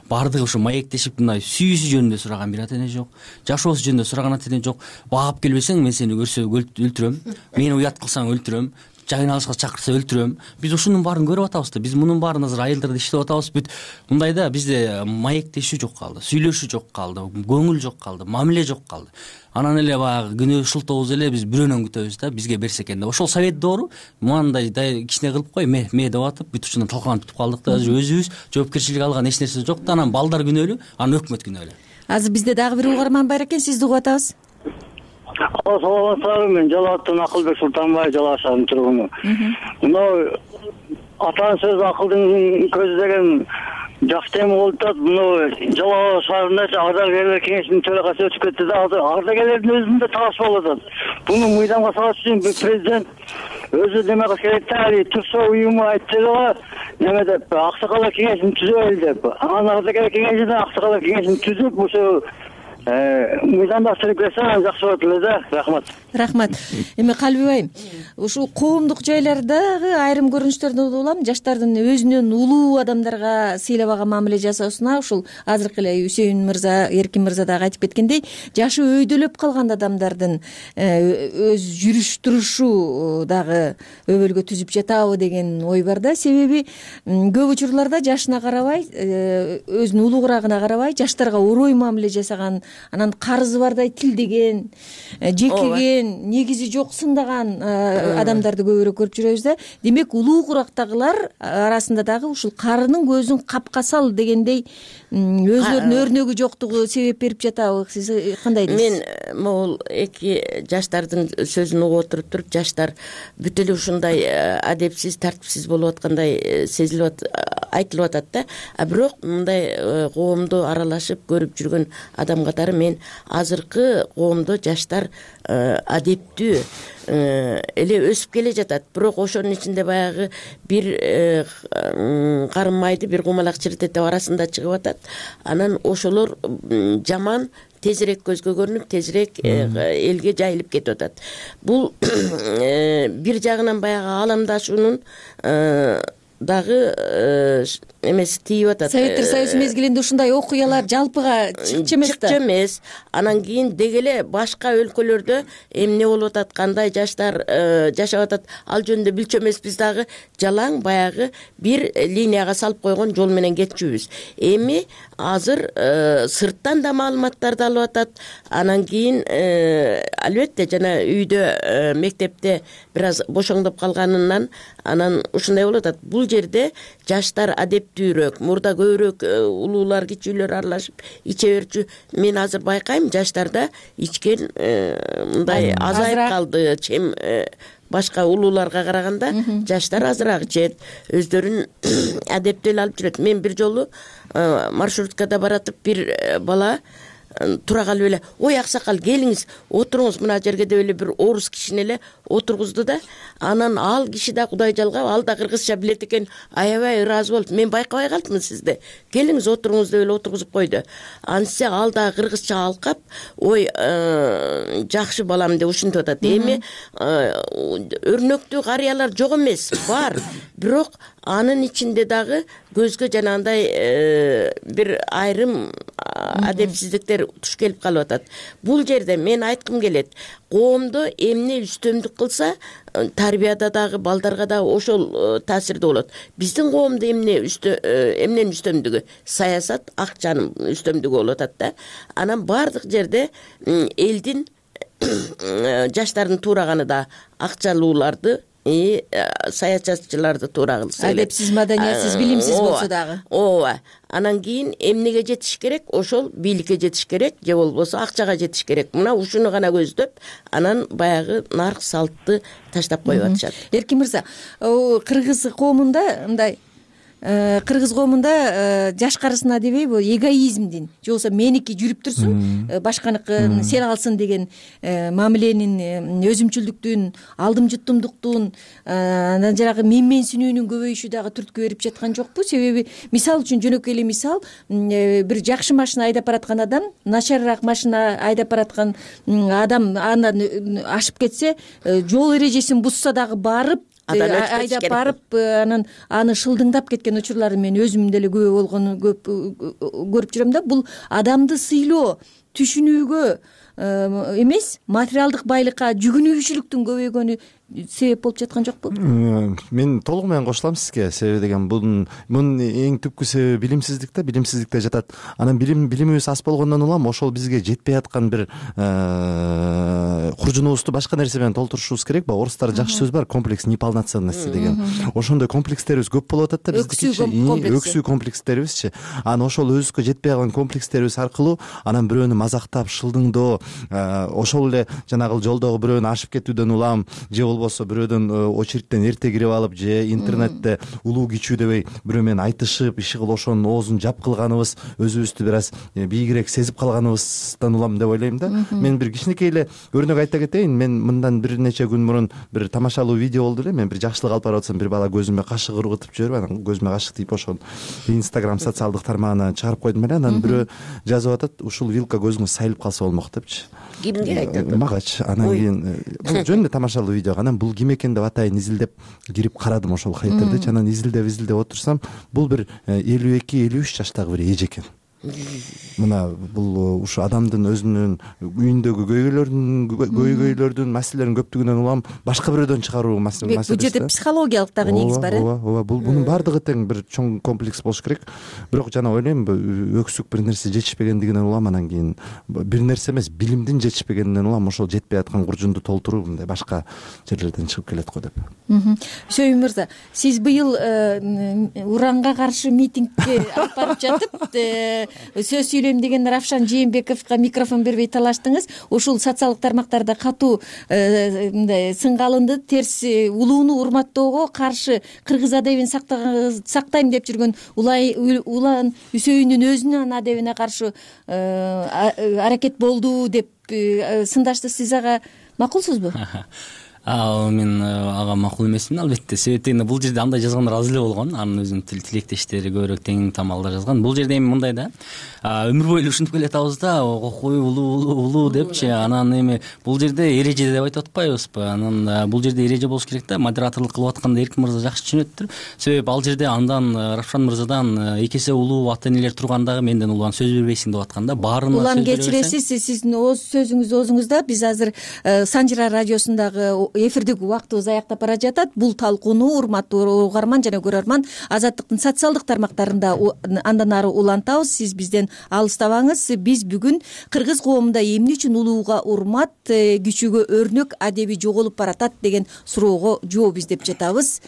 бардыгы ушу маектешип мындай сүйүүсү жөнүндө сураган бир ата эне жок, жашоосу жөнүндө сураган ата эне жок. Баап келбесең мен сени көрсө өлтүрөм, мени уят кылсаң өлтүрөм, жайналышка чакырса өлтүрөм. Биз ушунун баарын көрүп атабыз да. Биз мунун баарын азыр айылдарда иштеп атабыз. Бүт мындай да, бизде маектешүү жок калды, сүйлөшүү жок калды, көңүл жок калды, мамиле жок калды. Анан эле баягы күнөө шылтообуз эле биз бирөөнөн күтөбүз да, бизге берсе экен деп. Ошол совет доору мындай кичине кылып кой, ме деп атып, бүт ушундан талкаланып бүтүп калдык да. Азыр өзүбүз жоопкерчилик алган эч нерсе жок да. Анан балдар күнөөлүү, анан өкмөт күнөөлүү. Азыр бизде дагы бир угарман бар экен, сизди угуп атабыз. Саламатсыздарбы, мен Жалал абадтан Акылбек Султанбаев, Жалал шаарынын тургуну. Мына атанын сөзү акылдын көзү деген жакшы тема болуп атат. Мына Жалал шаарында ардагерлер кеңешинин төрагасы өтүп кетти да, ардагерлердин өзүндө талаш болуп атат. Буну мыйзамга салыш үчүн президент өзү неме кылыш керек да, турсо уюму айтты да, неме деп аксакалдар кеңешин түзөлү деп. Анан ардагерлер кеңешинин аксакалдар кеңешин түзүп ошо мыйзамда түзүп кетсе жакшы болот эле да. Рахмат. Рахмат. Эми Калби байым, ушул коомдук жайлардагы айрым көрүнүштөрдөн улам жаштардын өзүнөн улуу адамдарга сыйлабаган мамиле жасоосуна ушул азыркы эле Үсейин мырза, Эркин мырза дагы айтып кеткендей, жашы өйдөлөп калган адамдардын өз жүрүш турушу дагы өбөлгө түзүп жатабы деген ой бар да. Себеби көп учурларда жашына карабай, өзүнүн улугурагына карабай, жаштарга орой мамиле жасаган анан карызы бардай тилдеген, жекеген, негизи жок сындаган адамдарды көбүрөөк көрүп жүрөбүз да. Демек улуу курактагылар арасында дагы ушул карынын көзүн капка сал дегендей өзлөрүнүн өрнөгү жоктугу себеп берип жатабы? Сиз кандай дейсиз? Мен могул эки жаштардын сөзүн угуп отуруп туруп, жаштар бүт эле ушундай адепсиз, тартипсиз болуп аткандай сезилип айтылып атат да. А бирок мындай коомдо аралашып көрүп жүргөн адам катары мен азыркы коомдо жаштар адептүү эле өсүп келе жатат. Бирок ошонун ичинде баягы бир карын майды, бир кумалак чиртете арасында чыгып атат. Анан ошолор жаман тезирээк көзгө көрүнүп, тезирээк элге жайылып кетип атат. Бул бир жагынан баягы ааламдашуунун дагы эмеси тийип атат. Советтер Союзу мезгилинде ушундай окуялар жалпыга чыкчу эмес да. Чыкчу эмес. Анан кийин деги эле башка өлкөлөрдө эмне болуп атат, кандай жаштар жашап атат, ал жөнүндө билчү эмеспиз дагы. Жалаң баягы бир линияга салып койгон жол менен кетчүбүз. Эми азыр сырттан да маалыматтарды алып атат. Анан кийин албетте жана үйдө мектепте бир аз бошоңдоп калганынан анан ушундай болуп атат. Бул жерде жаштар адептүүрөөк, мурда көбүрөөк улуулар, кичүүлөр аралашып иче берчү. Мен азыр байкайм, жаштарда ичкен мындай азайып калды. Чем башка улууларга караганда жаштар азыраак ичет, өздөрүн адептүү алып жүрөт. Мен бир жолу маршруткада баратып бир бала тура калып эле, ой аксакал келиңиз, отуруңуз мына жерге деп эле бир орус кишини эле отургузду да. Анан ал киши да кудай жалгап, ал да кыргызча билет экен, аябай ыраазы болуп, мен байкабай калдым сизди. Келиңиз отуруңуз деп эле отургузуп койду. Анысы ал да кыргызча алкап, ой жакшы балам деп ушинтип атат. Эми өрнөктүү карыялар жок эмес, бар. Бирок анын ичинде дагы көзгө жанагындай бир айрым адепсиздиктер туш келип калып атат. Бул жерде мен айткым келет, коомдо эмне үстөмдүк кылса, тарбияда дагы, балдарга дагы ошол таасирде болот. Биздин коомдо эмненин үстөмдүгү? Саясат, акчанын үстөмдүгү болуп атат да. Анан бардык жерде элдин жаштардын туураганы да акчалууларды, саясатчыларды туура кылса эле. Адепсиз, маданиятсыз, билимсиз болсо дагы. Ооба. Анан кийин эмнеге жетиш керек? Ошол бийликке жетиш керек, же болбосо акчага жетиш керек. Мына ушуну гана көздөп, анан баягы нарк салтты таштап коюп атышат. Эркин мырза, кыргыз коомунда мындай кыргыз коомунда жаш карысына дебейби, эгоизмдин, же болбосо меники жүрүп турсун, башканыкын сен алсын деген мамиленин, өзүмчүлдүктүн, алдымжыттымдыктын, анан жанагы менменсинүүнүн көбөйүшү дагы түрткү берип жаткан жокпу? Себеби мисал үчүн жөнөкөй эле мисал, бир жакшы машина айдап бараткан адам, начарыраак машина айдап бараткан адам андан ашып кетсе, жол эрежесин бузса дагы барып айдап барып, анан аны шылдыңдап кеткен учурларды мен өзүм деле күбө болгону көп көрүп жүрөм да. Бул адамды сыйлоо, түшүнүүгө эмес, материалдык байлыкка жүгүнүүчүлүктүн көбөйгөнү себеп болуп жаткан жокпу? Мен толук менен кошулам сизге. Себеби деген мунун эң түпкү себеби билимсиздик да, билимсиздикте жатат. Анан билимибиз аз болгондон улам ошол бизге жетпей аткан бир куржунубузду башка нерсе менен толтурушубуз керек. Орустарда жакшы сөз бар, комплекс неполноценности деген. Ошондой комплекстерибиз көп болуп атат да биздикичи. Өксүү комплекстерибизчи. Анан ошол өзүбүзгө жетпей калган комплекстерибиз аркылуу анан бирөөнү мазактап, шылдыңдоо, ошол эле жанагы жолдогу бирөөнү ашып кетүүдөн улам, же болбосо бирөөдөн очередтен эрте кирип алып, же интернетте улуу кичүү дебей бирөө менен айтышып, иши кылып ошонун оозун жап кылганыбыз, өзүбүздү бир аз бийигирээк сезип калганыбыздан улам деп ойлойм да. Мен бир кичинекей эле өрнөк айта кетейин. Мен мындан бир нече күн мурун бир тамашалуу видео болду эле. Мен бир жакшылык алып барып атсам, бир бала көзүмө кашык ыргытып жиберип, анан көзүмө кашык тийип ошону Instagram социалдык тармагына чыгарып койдум эле. Анан бирөө жазып атат, ушул вилка көзүңүз сайылып калса болмок депчи. Кимге айтат? Магачы. Анан кийин бул жөн эле тамашалуу видео. Анан бул ким экен деп атайын изилдеп кирип карадым ошол хайтердечи. Анан изилдеп отурсам, бул бир 52-53 жаштагы бир эже экен. мына бул ушу адамдын өзүнүн үйүндөгү көйгөйлөрдүн маселелердин көптүгүнөн улам башка бирөөдөн чыгаруу маселеси. Бул жерде психологиялык дагы негиз бар ооба бул бунун баардыгы тең бир чоң комплекс болуш керек. Бирок жана ойлойм өксүк бир нерсе жетишпегендигинен улам анан кийин бир нерсе эмес билимдин жетишпегенинен улам ошол жетпей аткан куржунду толтуруу мындай башка жерлерден чыгып келет го деп. Шөйүн мырза, сиз быйыл уранга каршы митингге алып барып жатып сөз сүйлөйм деген Равшан Жээнбековго микрофон бербей талаштыңыз. Ушул социалдык тармактарда катуу мындай сынга алынды. Терс улууну урматтоого каршы кыргыз адебин сактайм деп жүргөн Улан Үсөйүндүн өзүнүн адебине каршы аракет болду деп сындашты. Сиз ага макулсузбу? Мен ага макул эмесмин албетте. Себеби бул жерде андай жазгандар аз эле болгон. Анын өзүнүн тилектештери көбүрөөк тең тамалда жазган. Бул жерде эми мындай да, өмүр бою ушинтип келатабыз да, кой улуу депчи. Анан эми бул жерде эреже деп айтып атпайбызбы? Анан бул жерде эреже болуш керек да. Модераторлук кылып атканда Эркин мырза жакшы түшүнөттүр. Себеби ал жерде андан Равшан мырзадан эки эсе улуу ата энелер тургандагы менден улам сөз бербейсиң деп атканда баарына улам кечиресиз. Сиздин сөзүңүз оозуңузда. Биз азыр Санжыра радиосундагы эфирдик убактыбыз аяктап бара жатат. Бул талкууну урматтуу угарман жана көрөрман Азаттыктын социалдык тармактарында андан ары улантабыз. Сиз бизден алыстабаңыз. Биз бүгүн кыргыз коомунда эмне үчүн улууга урмат, күчүгө өрнөк адеби жоголуп баратат деген суроого жооп издеп жатабыз.